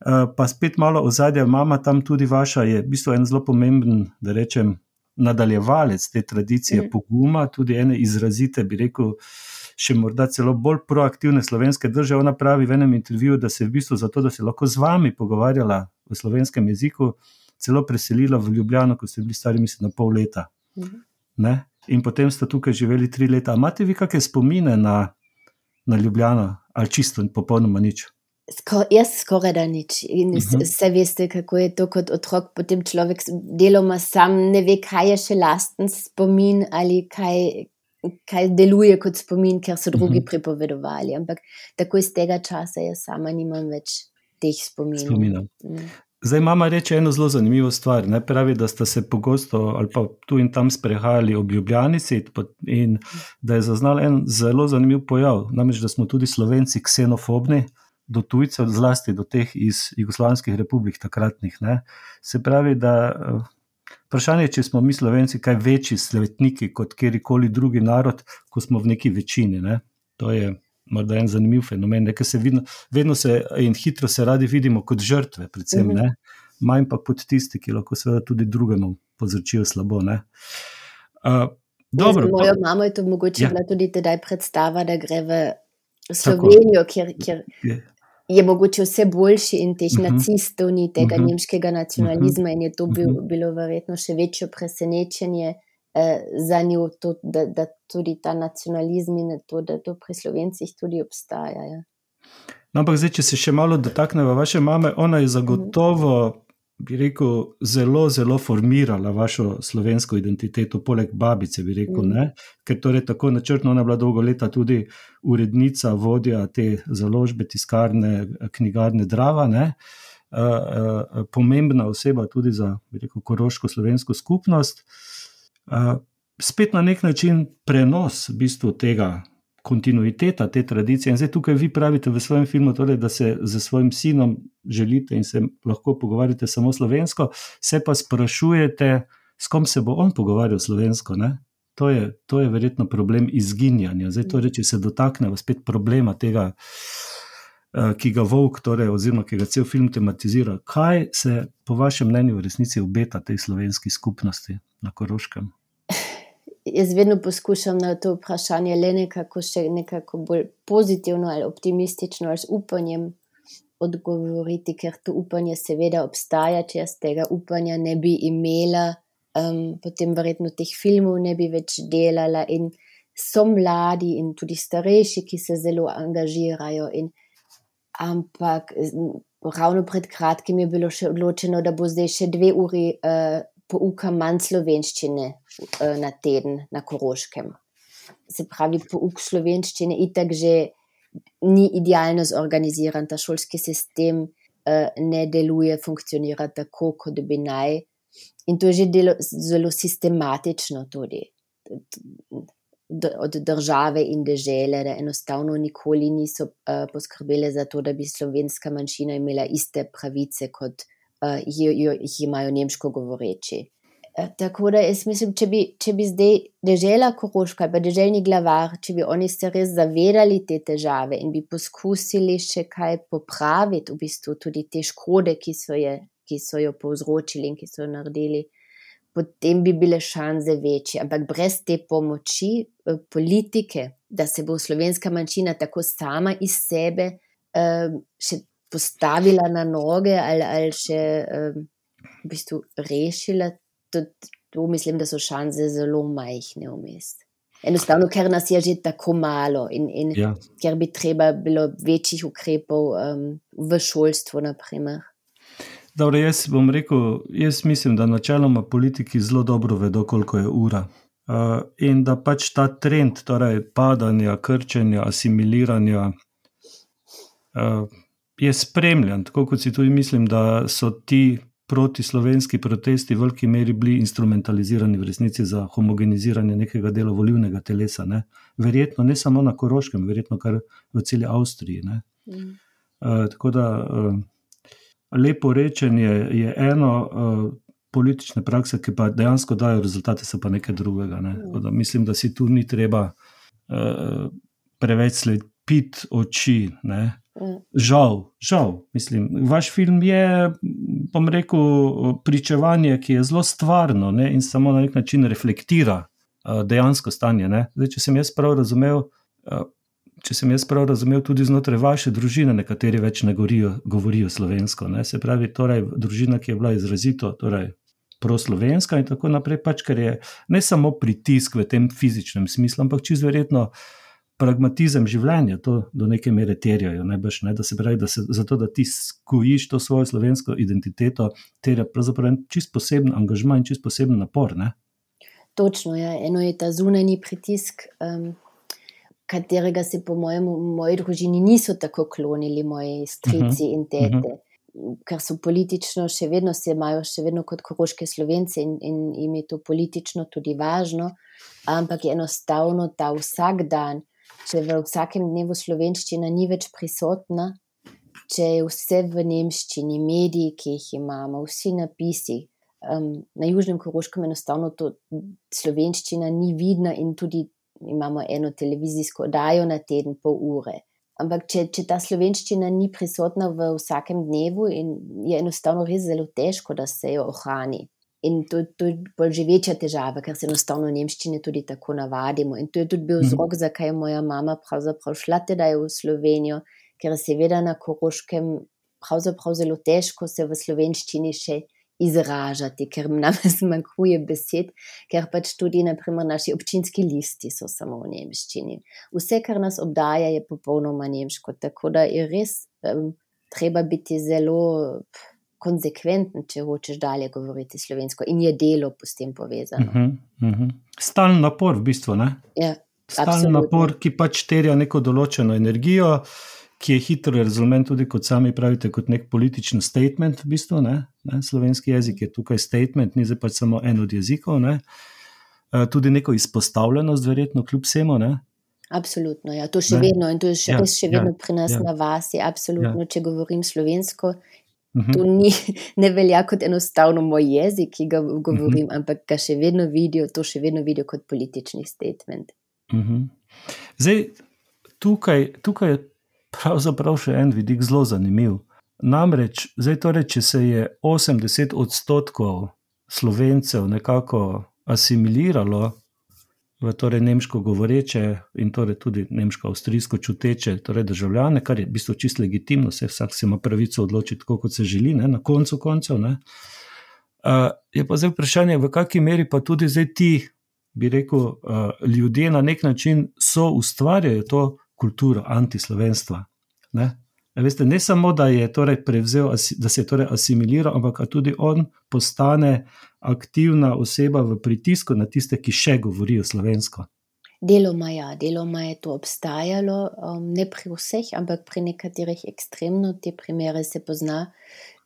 Uh, pa spet malo ozadja, mama tam tudi vaša je v bistvu en zelo pomemben, da rečem, nadaljevalec te tradicije mm. poguma, tudi ene izrazite, bi rekel, še morda celo bolj proaktivne slovenske drže. Ona pravi v enem intervjuju, da se v bistvu zato, da se lahko z vami pogovarjala v slovenskem jeziku, celo preselila v Ljubljano, ko ste bili stari, mislim, na pol leta. Mm-hmm. Ne? In potem sta tukaj živeli tri leta. A imate vi kakšne spomine na, na Ljubljano? Ali čisto in popolnoma nič? Skor, jaz skoraj da nič. In uh-huh. se veste, kako je to kot otrok, potem človek deloma sam ne ve, kaj je še lasten spomin ali kaj, kaj deluje kot spomin, ker so drugi uh-huh. pripovedovali. Ampak tako iz tega časa jaz sama nimam več teh spominov. Spominov. Mm. Zdaj mama reče eno zelo zanimivo stvar. Ne? Pravi, da sta se pogosto ali pa tu in tam sprehajali ob Ljubljanici in da je zaznal en zelo zanimiv pojav. Namreč, da smo tudi Slovenci ksenofobni do tujcev, zlasti do teh iz jugoslovanskih republik takratnih. Ne? Se pravi, da vprašanje, če smo mi Slovenci kaj večji svetniki kot kjerikoli drugi narod, ko smo v neki večini. Ne? To je morda en zanimiv fenomen, ne? Ker se vidno, vedno se in hitro se radi vidimo kot žrtve, predvsem, ne? Manj pa kot tisti, ki lahko seveda tudi drugemu povzročijo slabo. Ne? Uh, dobro, ja, za mojo pa, mamo je to mogoče ja. bila tudi tedaj predstava, da gre v Slovenijo, kjer, kjer je. je mogoče vse boljši in teh uh-huh. nacistov ni tega uh-huh. nemškega nacionalizma uh-huh. in je to bil, uh-huh. bilo verjetno še večje presenečenje eh, za njo, to, da, da tudi ta nacionalizm in to, da to pri Slovencih tudi obstaja. Ja. No, ampak zdaj, če se še malo dotakneva vaše mame, ona je zagotovo, bi rekel, zelo, zelo formirala vašo slovensko identiteto, poleg babice, bi rekel, mm. ne? Ker torej tako načrtno, ona je bila dolgo leta tudi urednica, vodja te založbe, tiskarne, knjigarne Drava, ne? Uh, uh, pomembna oseba tudi za, bi rekel, koroško slovensko skupnost. Uh, spet na nek način prenos v bistvu tega, kontinuiteta te tradicije. In zdaj tukaj vi pravite v svojem filmu, torej, da se z svojim sinom želite in se lahko pogovarjate samo slovensko, se pa sprašujete, s kom se bo on pogovarjal slovensko. Ne? To je, to je verjetno problem izginjanja. Zdaj torej, če se dotaknemo spet problema tega, ki ga Volk, torej, oziroma ki ga cel film tematizira. Kaj se po vašem mnenju v resnici obeta tej slovenski skupnosti na Koroškem? Jaz vedno poskušam na to vprašanje le nekako še nekako bolj pozitivno ali optimistično ali z upanjem odgovoriti, ker to upanje seveda obstaja, če jaz tega upanja ne bi imela, um, potem verjetno teh filmov ne bi več delala in so mladi in tudi starejši, ki se zelo angažirajo in ampak ravno pred kratkim je bilo še odločeno, da bo zdaj še dve uri uh, pouka manj slovenščine uh, na teden na Koroškem. Se pravi, pouk slovenščine itak že ni idealno zorganiziran, ta šolski sistem uh, ne deluje, funkcionira tako, kot bi naj. In to je že delo, zelo sistematično tudi od države in dežele, da enostavno nikoli niso uh, poskrbele za to, da bi slovenska manjšina imela iste pravice kot Uh, jih imajo nemško govoreči. Uh, tako da jaz mislim, če bi, če bi zdaj dežela Koroška, pa deželni glavar, če bi oni se res zavedali te težave in bi poskusili še kaj popraviti, v bistvu tudi te škode, ki so, je, ki so jo povzročili in ki so jo naredili, potem bi bile šanse večje. Ampak brez te pomoči uh, politike, da se bo slovenska manjšina tako sama iz sebe uh, še postavila na noge ali, ali še um, v bistvu rešila, to, to mislim, da so šanse zelo majhne vmes. Enostavno, ker nas je že tako malo in, in Ja. ker bi treba bilo večjih ukrepov um, v šolstvu, naprimer. Dobro, jaz bom rekel, jaz mislim, da načeloma politiki zelo dobro vedo, koliko je ura. Uh, in da pač ta trend, torej padanja, krčenja, asimiliranja, uh, je spremljan. Tako kot si tudi mislim, da so ti protislovenski protesti v veliki meri bili instrumentalizirani v resnici za homogeniziranje nekega dela volilnega telesa. Ne? Verjetno ne samo na Koroškem, verjetno kar v celi Avstriji. Ne? Mm. Uh, tako da uh, lepo rečenje je eno, uh, politične prakse, ki pa dejansko dajo rezultate, so pa nekaj drugega. Ne? Mm. Da mislim, da si tu ni treba uh, preveč slepiti oči. Ne? Mm. Žal, žal, mislim, vaš film je, bom rekel, pričevanje, ki je zelo stvarno, ne? In samo na nek način reflektira uh, dejansko stanje. Ne? Zdaj, če sem jaz prav razumel, uh, če sem jaz prav razumel, tudi znotraj vaše družine nekateri več ne govorijo, govorijo slovensko. Ne? Se pravi, torej, družina, ki je bila izrazito torej, proslovenska in tako naprej, pač, ker je ne samo pritisk v tem fizičnem smislu, ampak čisto verjetno pragmatizem življenja, to do neke mere terjajo, najbrž, ne? Da se pravi, da se, zato, da ti skojiš to svojo slovensko identiteto, terja pravzaprav čist poseben angažma in čist poseben napor. Ne? Točno, ja. Eno je ta zunanji pritisk, um, katerega se po mojem v moji družini niso tako klonili moji strici uh-huh. in tete, uh-huh. ker so politično še vedno se imajo še vedno kot koroške Slovence in, in jim je to politično tudi važno, ampak je enostavno ta vsak dan, če v vsakem dnevu slovenščina ni več prisotna, če je vse v nemščini, mediji, ki jih imamo, vsi napisi, um, na Južnem Koroškem enostavno to slovenščina ni vidna in tudi imamo eno televizijsko oddajo na teden pol ure. Ampak če, če ta slovenščina ni prisotna v vsakem dnevu, in je enostavno res zelo težko, da se jo ohrani. In to, to je bolj že večja težava, ker se enostavno nemščine tudi tako navadimo. In to je tudi bil vzrok, mm-hmm. zakaj je moja mama pravzaprav šla tedaj v Slovenijo, ker seveda na Koroškem pravzaprav zelo težko se v slovenščini še izražati, ker nam zmanjkuje besed, ker pač tudi naprimer naši občinski listi so samo v nemščini. Vse, kar nas obdaja, je popolnoma nemško, tako da je res um, treba biti zelo konsekventen, če hočeš dalje govoriti slovensko, in je delo s tem povezano. Uh-huh, uh-huh. Stalen napor v bistvu, ne? Ja, stalen napor, ki pač terja neko določeno energijo, ki je hitro razumen tudi, kot sami pravite, kot nek političen statement v bistvu, ne? Ne? Slovenski jezik je tukaj statement, ni zdaj pač samo en od jezikov, ne? E, tudi neko izpostavljenost verjetno kljub vsemu, ne? Absolutno, ja, to še ne? vedno in to je še, ja, še vedno ja, pri nas ja. Na vasi, absolutno, ja. Če govorim slovensko, uh-huh. to ni, ne velja kot enostavno moj jezik, ki ga govorim, uh-huh. ampak ga še vedno vidijo, to še vedno vidijo kot politični statement. Uh-huh. Zdaj, tukaj, tukaj je pravzaprav še en vidik zelo zanimiv. Namreč, zdaj torej, če se je osemdeset odstotkov Slovencev nekako asimiliralo v torej nemško govoreče in torej tudi nemško-avstrijsko čuteče torej državljane, kar je v bistvu čisto legitimno, se vsak se ima pravico odločiti tako, kot se želi, ne, na koncu koncev, ne. Uh, je pa zdaj vprašanje, v kakšni meri pa tudi zdaj ti, bi rekel, uh, ljudje na nek način so ustvarjajo to kulturo antislovenstva. Ne? Veste, ne samo, da je torej prevzel, da se je torej asimiliral, ampak tudi on postane aktivna oseba v pritisku na tiste, ki še govorijo slovensko. Deloma ja, deloma je to obstajalo, um, ne pri vseh, ampak pri nekaterih ekstremno, te primere se pozna.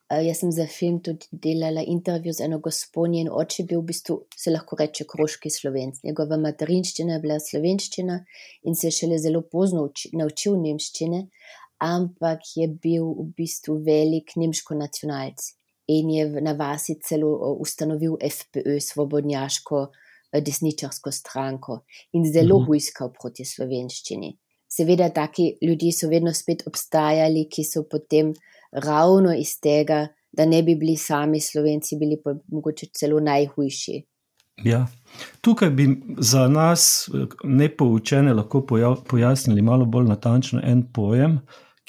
Uh, jaz sem za film tudi delala intervju z eno gospo, njen oče bil v bistvu, se lahko reče, koroški Slovenc. Njegova materinščina je bila slovenščina in se je šele zelo pozno uči, naučil nemščine, ampak je bil v bistvu velik nemško nacionalc in je na vasi celo ustanovil F P Ö, svobodnjaško desničarsko stranko, in zelo uh-huh. hujskal proti slovenščini. Seveda taki ljudje so vedno spet obstajali, ki so potem ravno iz tega, da ne bi bili sami Slovenci, bili pa mogoče celo najhujši. Ja, tukaj bi za nas nepoučene lahko pojasnili malo bolj natančno en pojem,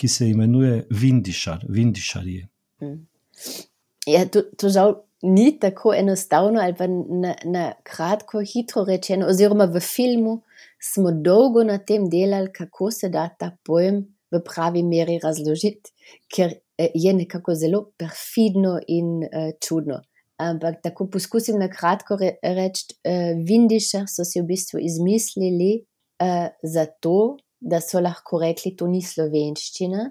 ki se imenuje Vindišar, Vindišarji. Mm. Ja, to, to žal ni tako enostavno ali pa na, na kratko, hitro rečeno, oziroma v filmu smo dolgo na tem delali, kako se da ta pojem v pravi meri razložiti, ker je nekako zelo perfidno in uh, čudno. Ampak tako poskusim na kratko re, reči, uh, Vindišar so si v bistvu izmislili uh, zato, da so lahko rekli, to ni slovenščina,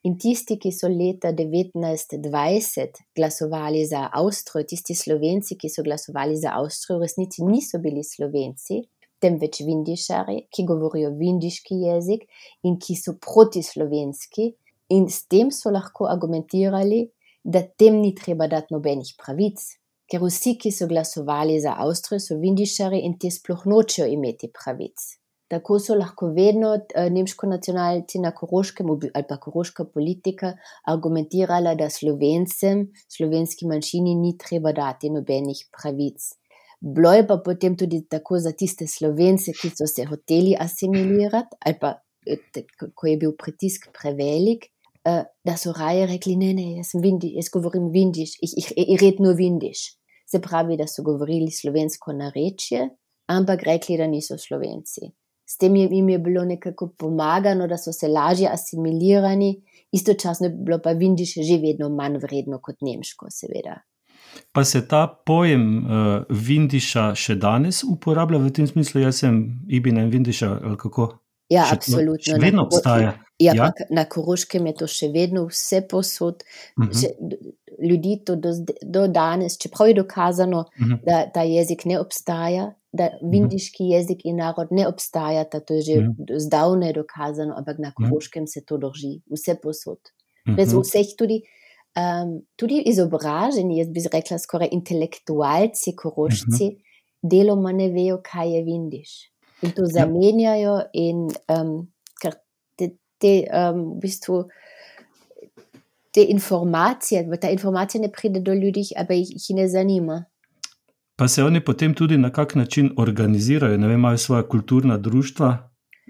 in tisti, ki so leta devetnajst dvajset glasovali za Avstrijo, tisti Slovenci, ki so glasovali za Avstrijo, v resnici niso bili Slovenci, temveč Vindišari, ki govorijo vindiški jezik in ki so protislovenski, in s tem so lahko argumentirali, da tem ni treba dati nobenih pravic, ker vsi, ki so glasovali za Avstrijo, so Vindišari in te sploh nočejo imeti pravic. Tako so lahko vedno uh, nemško nacionalci na Koroškem ali pa koroška politika argumentirala, da Slovencem, slovenski manjšini ni treba dati nobenih pravic. Bilo je pa potem tudi tako za tiste Slovence, ki so se hoteli asimilirati, ali pa ko je bil pritisk prevelik, uh, da so raje rekli, ne, ne, jaz, sem vindi, jaz govorim vindiš, ich, ich, ich red nur vindiš. Se pravi, da so govorili slovensko narečje, ampak rekli, da niso Slovenci. S tem jim je bilo nekako pomagano, da so se lažje asimilirani, istočasno je bilo pa vindiš že vedno manj vredno kot nemško, seveda. Pa se ta pojem uh, vindiša še danes uporablja v tem smislu, jaz sem Ibina in vindiša, ali kako? Ja, še absolutno. To, še vedno obstaja. Ja, ja? Na Koroškem je to še vedno vse posod. Uh-huh. Še, ljudi to do, do danes, čeprav je dokazano, uh-huh. da ta jezik ne obstaja, da vindiški uh-huh. jezik in narod ne obstajata, to je že uh-huh. zdavne dokazano, ampak na Koroškem uh-huh. se to drži, vse posod. Brez uh-huh. vseh tudi, um, tudi izobraženi, jaz bi rekla skoraj intelektualci Korošci, uh-huh. deloma ne vejo, kaj je vindiš. In to zamenjajo in um, ker te, te um, v bistvu te informacije, ta informacija ne pride do ljudi, ampak jih, jih ne zanima. Pa se oni potem tudi na kak način organizirajo, ne vem, imajo svoja kulturna društva?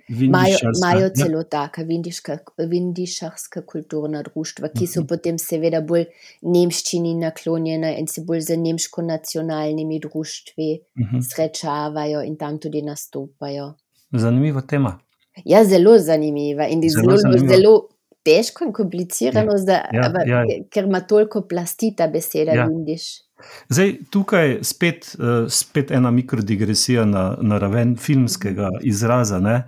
Imajo celo ja. taka vindiška, vindišarska kulturna društva, ki so uh-huh. potem seveda bolj nemščini naklonjena in se bolj za nemško nacionalnimi društvi uh-huh. srečavajo in tam tudi nastopajo. Zanimiva tema. Ja, zelo zanimiva in zelo, zelo, zelo težko in komplicirano, ja. Zda, ja, aber, ja. ker ima toliko plasti ta beseda ja. vindiš. Zdaj, tukaj spet, uh, spet ena mikrodigresija na, na raven filmskega izraza, ne?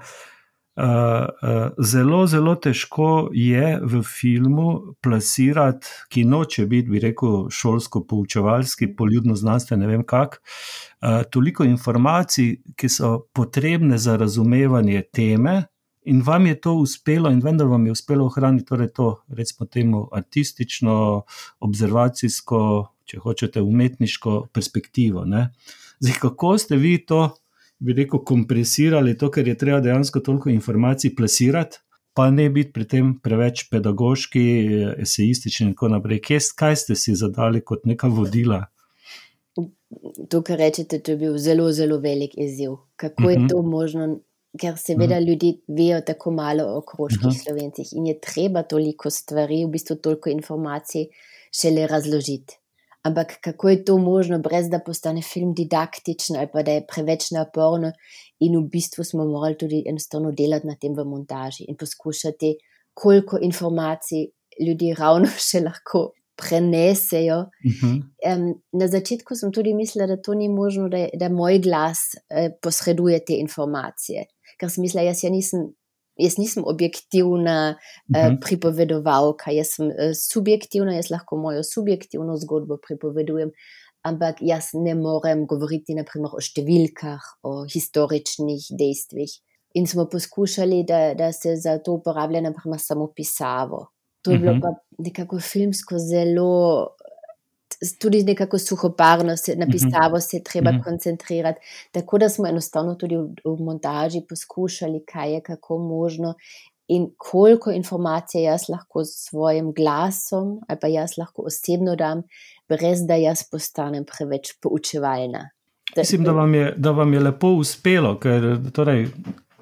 Uh, uh, zelo, zelo težko je v filmu plasirati, ki noče biti, bi rekel, šolsko-poučevalski, poljudno-znanstveni, ne vem kak, uh, toliko informacij, ki so potrebne za razumevanje teme, in vam je to uspelo, in vendar vam je uspelo ohraniti torej to, recimo temu, artistično, observacijsko, če hočete, umetniško perspektivo. Ne? Zdaj, kako ste vi to, bi rekel, kompresirali, to, ker je treba dejansko toliko informacij plasirati, pa ne biti pri tem preveč pedagoški, esejistični in tako naprej. Kaj ste si zadali kot neka vodila? To, kar rečete, to je bil zelo, zelo velik izziv. Kako uh-huh. je to možno, ker seveda uh-huh. ljudi vejo tako malo o koroških uh-huh. Slovencih in je treba toliko stvari, v bistvu toliko informacij šele razložiti. Ampak kako je to možno, brez da postane film didaktičen ali pa da je preveč naporno, in v bistvu smo morali tudi enostavno delati na tem v montaži in poskušati, koliko informacij ljudi ravno še lahko prenesejo. Uh-huh. Um, na začetku sem tudi mislila, da to ni možno, da, da moj glas eh, posreduje te informacije, ker sem mislila, jaz ja nisem Jaz nisem objektivna uh-huh. uh, pripovedovalka, jaz sem uh, subjektivna, jaz lahko mojo subjektivno zgodbo pripovedujem, ampak jaz ne morem govoriti naprimer o številkah, o historičnih dejstvih. In smo poskušali, da, da se za to uporablja naprimer samo pisavo. To je uh-huh. bilo pa nekako filmsko zelo, tudi nekako suhoparno, se, na pisavo se je treba uh-huh. koncentrirati, tako da smo enostavno tudi v, v montaži poskušali, kaj je kako možno in koliko informacije jaz lahko s svojim glasom ali pa jaz lahko osebno dam, brez da jaz postanem preveč poučevalna. Mislim, da vam je, da vam je lepo uspelo, ker torej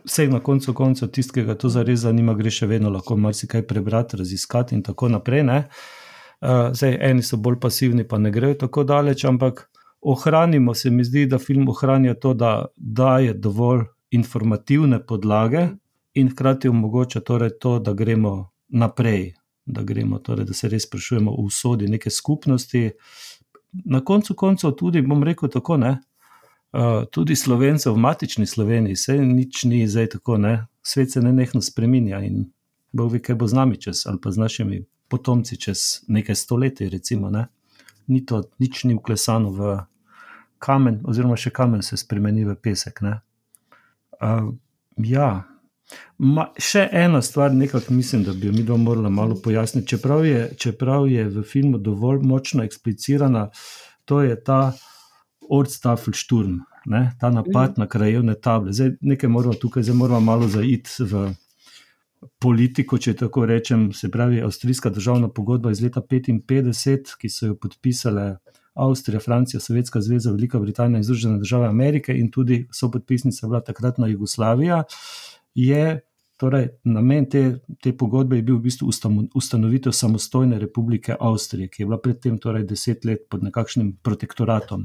vse na koncu koncev tistega, to zares zanima, gre še vedno lahko marsikaj prebrati, raziskati in tako naprej, ne. Uh, zdaj, eni so bolj pasivni, pa ne grejo tako daleč, ampak ohranimo, se mi zdi, da film ohranja to, da daje dovolj informativne podlage in hkrati omogoča torej to, da gremo naprej, da gremo torej, da se res sprašujemo o usodi neke skupnosti. Na koncu koncev tudi, bom rekel tako, ne, uh, tudi Slovencev v matični Sloveniji, saj nič ni zdaj tako, ne, svet se nenehno spreminja in Bog ve, kaj bo z nami čez, ali pa z našimi potomci čez nekaj stoletij, recimo, ne. Ni to, nič ni vklesano v kamen, oziroma še kamen se spremeni v pesek, ne. Uh, ja, Ma, še ena stvar, nekako mislim, da bi jo mi dva morala malo pojasniti, čeprav je, čeprav je v filmu dovolj močno eksplicirana, to je ta Ortstafelsturm, ne, ta napad mm. na krajevne table. Zdaj, nekaj moramo tukaj, zdaj moramo malo zaiti v politiko, če tako rečem, se pravi avstrijska državna pogodba iz leta petinpetdeset, ki so jo podpisale Avstrija, Francija, Sovjetska zveza, Velika Britanija in Združene države Amerike in tudi sopodpisnica bila takratna Jugoslavija, je torej namen te, te pogodbe je bil v bistvu ustanovitev samostojne republike Avstrije, ki je bila predtem torej deset let pod nekakšnim protektoratom.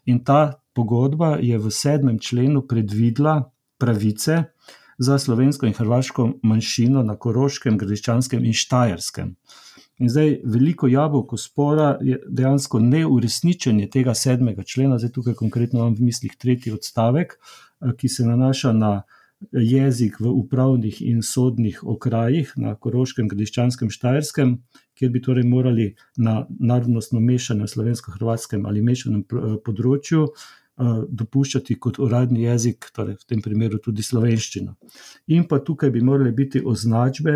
In ta pogodba je v sedmem členu predvidela pravice za slovensko in hrvaško manjšino na Koroškem, Gradiščanskem in Štajerskem. In zdaj veliko jabolko spora je dejansko neuresničenje tega sedmega člena, zdaj tukaj konkretno imam v mislih tretji odstavek, ki se nanaša na jezik v upravnih in sodnih okrajih na Koroškem, Gradiščanskem, Štajerskem, kjer bi torej morali na narodnostno mešanem slovensko-hrvatskem ali mešanem področju dopuščati kot uradni jezik, torej v tem primeru tudi slovenščino. In pa tukaj bi morali biti označbe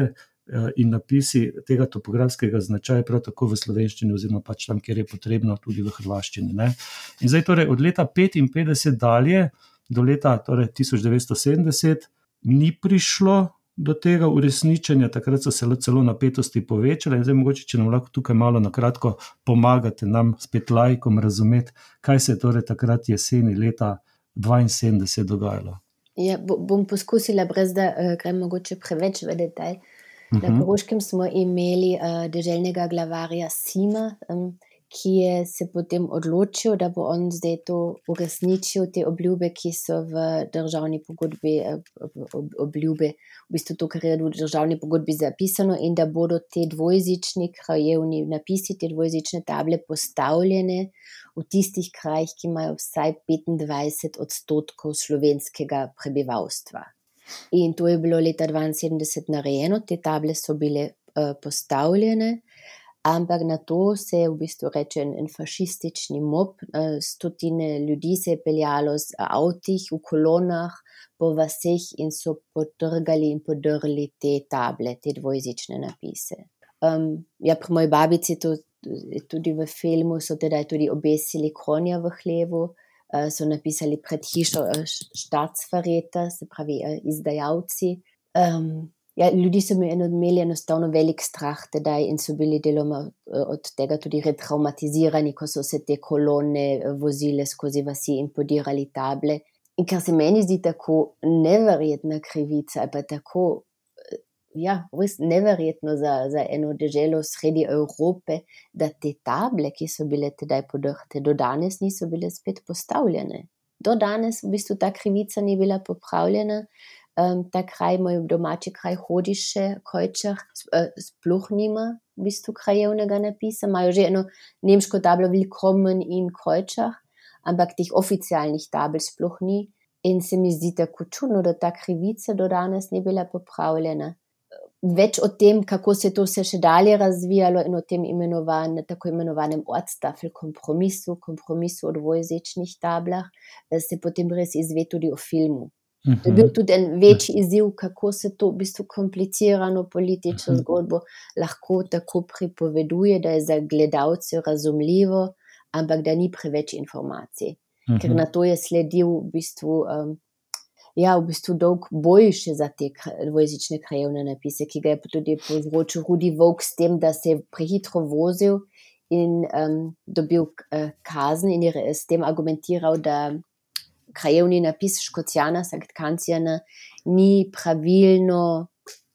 in napisi tega topografskega značaja prav tako v slovenščini oziroma pač tam, kjer je potrebno, tudi v hrvaščini, ne. In zdaj torej od leta petinpetdeset dalje do leta torej tisoč devetsto sedemdeset ni prišlo do tega uresničenja, takrat so se celo napetosti povečale in zdaj mogoče, če nam lahko tukaj malo na kratko pomagate nam spet laikom razumeti, kaj se je torej takrat jeseni leta dvainsedemdeset dogajalo. Ja, bom poskusila, brez da uh, grem mogoče preveč v detalj. Uh-huh. Na Koroškem smo imeli uh, deželnega glavarja Sima, um, ki je se potem odločil, da bo on zdaj to uresničil, te obljube, ki so v državni pogodbi obljube, v bistvu to, kar je v državni pogodbi zapisano, in da bodo te dvojezični krajevni napisi, te dvojezične table postavljene v tistih krajih, ki imajo vsaj petindvajset odstotkov slovenskega prebivalstva. In to je bilo leta dvainsedemdeset narejeno, te table so bile uh, postavljene, ampak na to se je v bistvu reče en, en fašistični mob, stotine ljudi se je peljalo z avtih v kolonah po vaseh in so potrgali in podrli te table, te dvojezične napise. Um, ja, pri moji babici to, tudi v filmu so teda tudi obesili konja v hlevu, uh, so napisali pred hišo Staatsverräter, se pravi uh, izdajalci. Um, Ja, ljudi so imeli enostavno velik strah tedaj in so bili deloma od tega tudi retraumatizirani, ko so se te kolone vozile skozi vasi in podirali table. In kar se meni zdi tako neverjetna krivica, pa tako, ja, res neverjetno za, za eno deželo sredi Evrope, da te table, ki so bile tedaj podrte, do danes niso bile spet postavljene. Do danes v bistvu ta krivica ni bila popravljena. Um, ta kraj, moj domači kraj Hodiše, Kojčah, sploh nima v bistvu krajevnega napisa, imajo že eno nemško tablo Willkommen in Kojčah, ampak teh oficialnih tabel sploh ni in se mi zdi tako čudno, da ta krivica do danes ni bila popravljena. Več o tem, kako se to se še dalje razvijalo in o tem imenovan, tako imenovanem Ortstafel kompromisu, kompromisu o dvojezičnih tablah, se potem res izve tudi o filmu. To je bil tudi en večji izziv, kako se to v bistvu komplicirano politično zgodbo lahko tako pripoveduje, da je za gledalce razumljivo, ampak da ni preveč informacij. Uh-huh. Ker na to je sledil v bistvu, um, ja, v bistvu dolg boj še za te dvojezične krajevne napise, ki ga je tudi povzročil Rudi Volk s tem, da se je prehitro vozil in um, dobil uh, kazen in je s tem argumentiral, da krajevni napis Škocjana sagt Kanzjana ni pravilno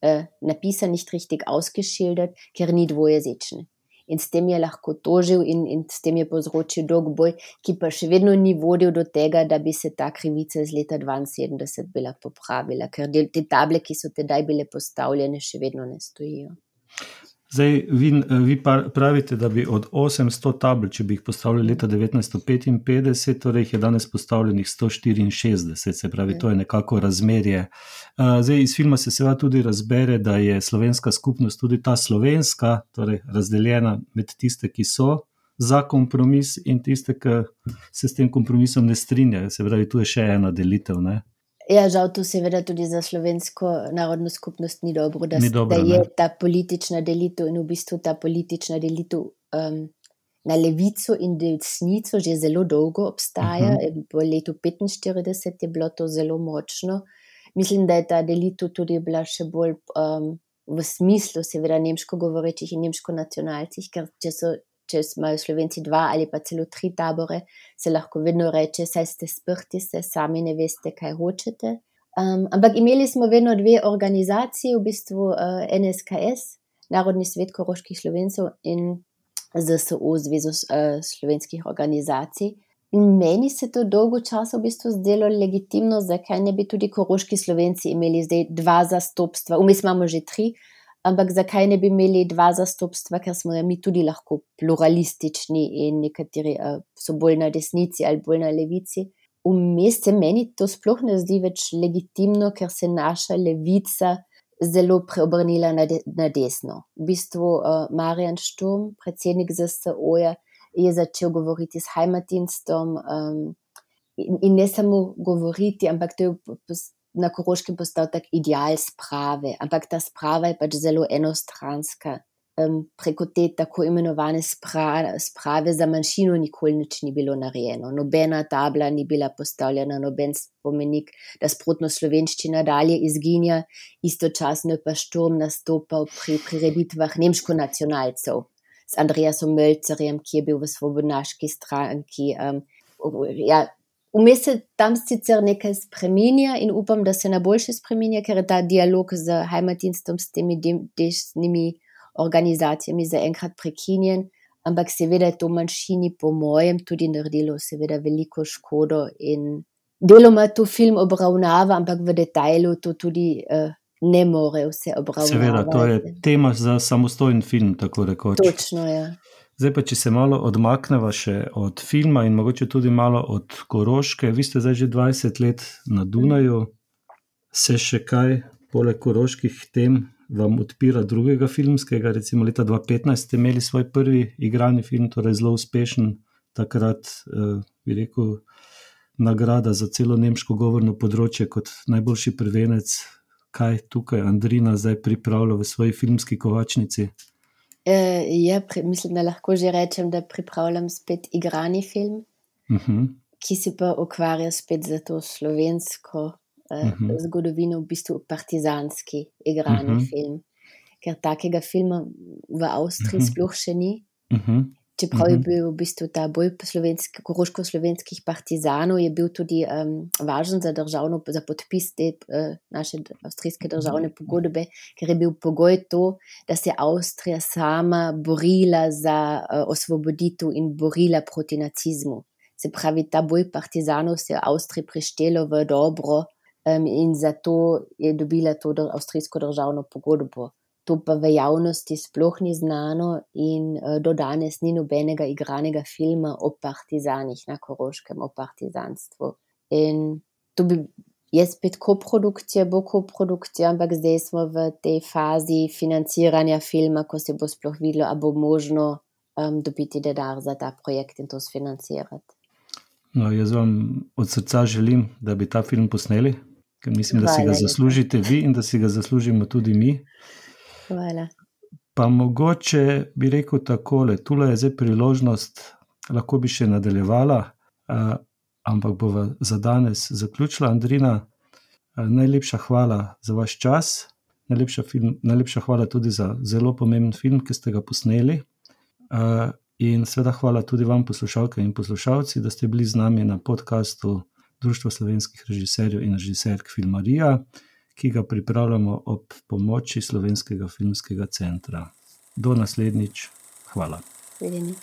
uh, napisan, nicht richtig ausgeschildert, ker ni dvojezičen. In s tem je lahko tožil in, in s tem je povzročil dolg boj, ki pa še vedno ni vodil do tega, da bi se ta krivica iz leta dvainsedemdeset bila popravila, ker del, te table, ki so tedaj bile postavljene, še vedno ne stojijo. Zdaj, vi, vi pravite, da bi od osemsto tabel, če bi jih postavili leta devetnajststo petinpetdeset, torej jih je danes postavljenih sto štiriinšestdeset, se pravi, to je nekako razmerje. Zdaj, iz filma se seveda tudi razbere, da je slovenska skupnost tudi ta slovenska, torej razdeljena med tiste, ki so za kompromis in tiste, ki se s tem kompromisom ne strinjajo. Se pravi, tu je še ena delitev, ne? Ja, žal to seveda tudi za slovensko narodno skupnost ni dobro, da, ni dobro, da je ne? ta politična delitev in v bistvu ta politična delitev um, na levico in desnico že zelo dolgo obstaja. Uh-huh. Po letu petinštirideset je bilo to zelo močno. Mislim, da je ta delitev tudi bila še bolj um, v smislu seveda nemško govorečih in nemško nacionalcih, ker če so če imajo Slovenci dva ali pa celo tri tabore, se lahko vedno reče, saj ste sprti, se sami ne veste, kaj hočete. Um, ampak imeli smo vedno dve organizaciji, v bistvu uh, N S K S, Narodni svet koroških Slovencev in Z S O, Zvezo uh, slovenskih organizacij. In meni se to dolgo časa v bistvu zdelo legitimno, zakaj ne bi tudi koroški Slovenci imeli zdaj dva zastopstva, vmes imamo že tri, ampak zakaj ne bi imeli dva zastopstva, ker smo mi tudi lahko pluralistični in nekateri uh, so bolj na desnici ali bolj na levici. Vmes se meni to sploh ne zdi več legitimno, ker se naša levica zelo preobrnila na, de, na desno. V bistvu uh, Marjan Šturm, predsednik Z S O-ja, je začel govoriti s Heimatdienstom um, in, in ne samo govoriti, ampak to je na Koroškem postal tak ideal sprave, ampak ta sprava je pač zelo enostranska. Um, preko te tako imenovane spra, sprave za manjšino nikoli nič ni bilo narejeno. Nobena tabla ni bila postavljena, noben spomenik, da sprotno slovenščina dalje izginja, istočasno je pa Šturm nastopal pri prireditvah nemško-nacionalcev s Andreasom Mölzerjem, ki je bil v svobodnaški stranki. Um, ja, Vmes se tam sicer nekaj spreminja in upam, da se na boljše spreminja, ker je ta dialog z Heimatdienstom, s temi desnimi organizacijami zaenkrat prekinjen, ampak seveda je to manjšini po mojem tudi naredilo seveda veliko škodo in deloma to film obravnava, ampak v detajlu to tudi uh, ne more vse obravnavati. Seveda, to je tema za samostojen film, tako rekoč. Točno, ja. Zdaj pa, če se malo odmakneva še od filma in mogoče tudi malo od Koroške, vi ste zdaj že dvajset let na Dunaju, se še kaj poleg koroških tem vam odpira drugega filmskega, recimo leta dva tisoč petnajst ste imeli svoj prvi igrani film, torej zelo uspešen, takrat eh, bi rekel nagrada za celo nemško govorno področje kot najboljši prvenec. Kaj tukaj Andrina zdaj pripravlja v svoji filmski kovačnici? Uh, ja, pri, mislim, da lahko že rečem, da pripravljam spet igrani film, uh-huh. ki se pa ukvarja spet za to slovensko uh, uh-huh. zgodovino, v bistvu partizanski igrani uh-huh. film, ker takega filma v Avstriji uh-huh. sploh še ni. Uh-huh. Čeprav uh-huh. je bil v bistvu ta boj koroško-slovenskih partizanov, je bil tudi um, važen za državno, za podpis te uh, naše avstrijske državne pogodbe, ker je bil pogoj to, da se Avstrija sama borila za uh, osvoboditev in borila proti nacizmu. Se pravi, ta boj partizanov se je Avstriji prištelo v dobro um, in zato je dobila to avstrijsko državno pogodbo. To pa v javnosti sploh ni znano in uh, do danes ni nobenega igranega filma o partizanih na Koroškem, o partizanstvu. In to bi, je spet koprodukcija, bo koprodukcija, ampak zdaj smo v tej fazi financiranja filma, ko se bo sploh videlo, a bo možno um, dobiti denar za ta projekt in to sfinancirati. No, jaz vam od srca želim, da bi ta film posneli, ker mislim, da Hvala, si ga zaslužite vi in da si ga zaslužimo tudi mi. Hvala. Pa mogoče bi rekel takole, tule je zdaj priložnost, lahko bi še nadaljevala, uh, ampak bova za danes zaključila. Andrina, uh, najlepša hvala za vaš čas, najlepša, film, najlepša hvala tudi za zelo pomemben film, ki ste ga posneli. Uh, in seveda hvala tudi vam, poslušalke in poslušalci, da ste bili z nami na podcastu Društva slovenskih režiserjev in režiserk Filmarija, ki ga pripravljamo ob pomoči Slovenskega filmskega centra. Do naslednjič. Hvala. Videni.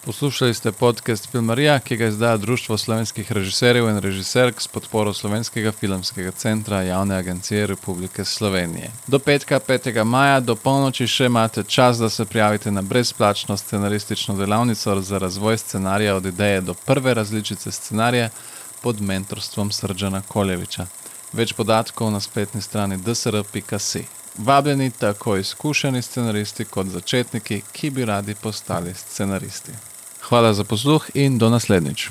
Poslušali ste podcast Filmarija, ki ga izdaja Društvo slovenskih režiserjev in režiserk s podporo Slovenskega filmskega centra Javne agencije Republike Slovenije. Do petka, petega maja, do polnoči še imate čas, da se prijavite na brezplačno scenaristično delavnico za razvoj scenarija od ideje do prve različice scenarija pod mentorstvom Srdžana Koljeviča. Več podatkov na spletni strani d s r pika si. Vabljeni tako izkušeni scenaristi kot začetniki, ki bi radi postali scenaristi. Hvala za posluh in do naslednjič.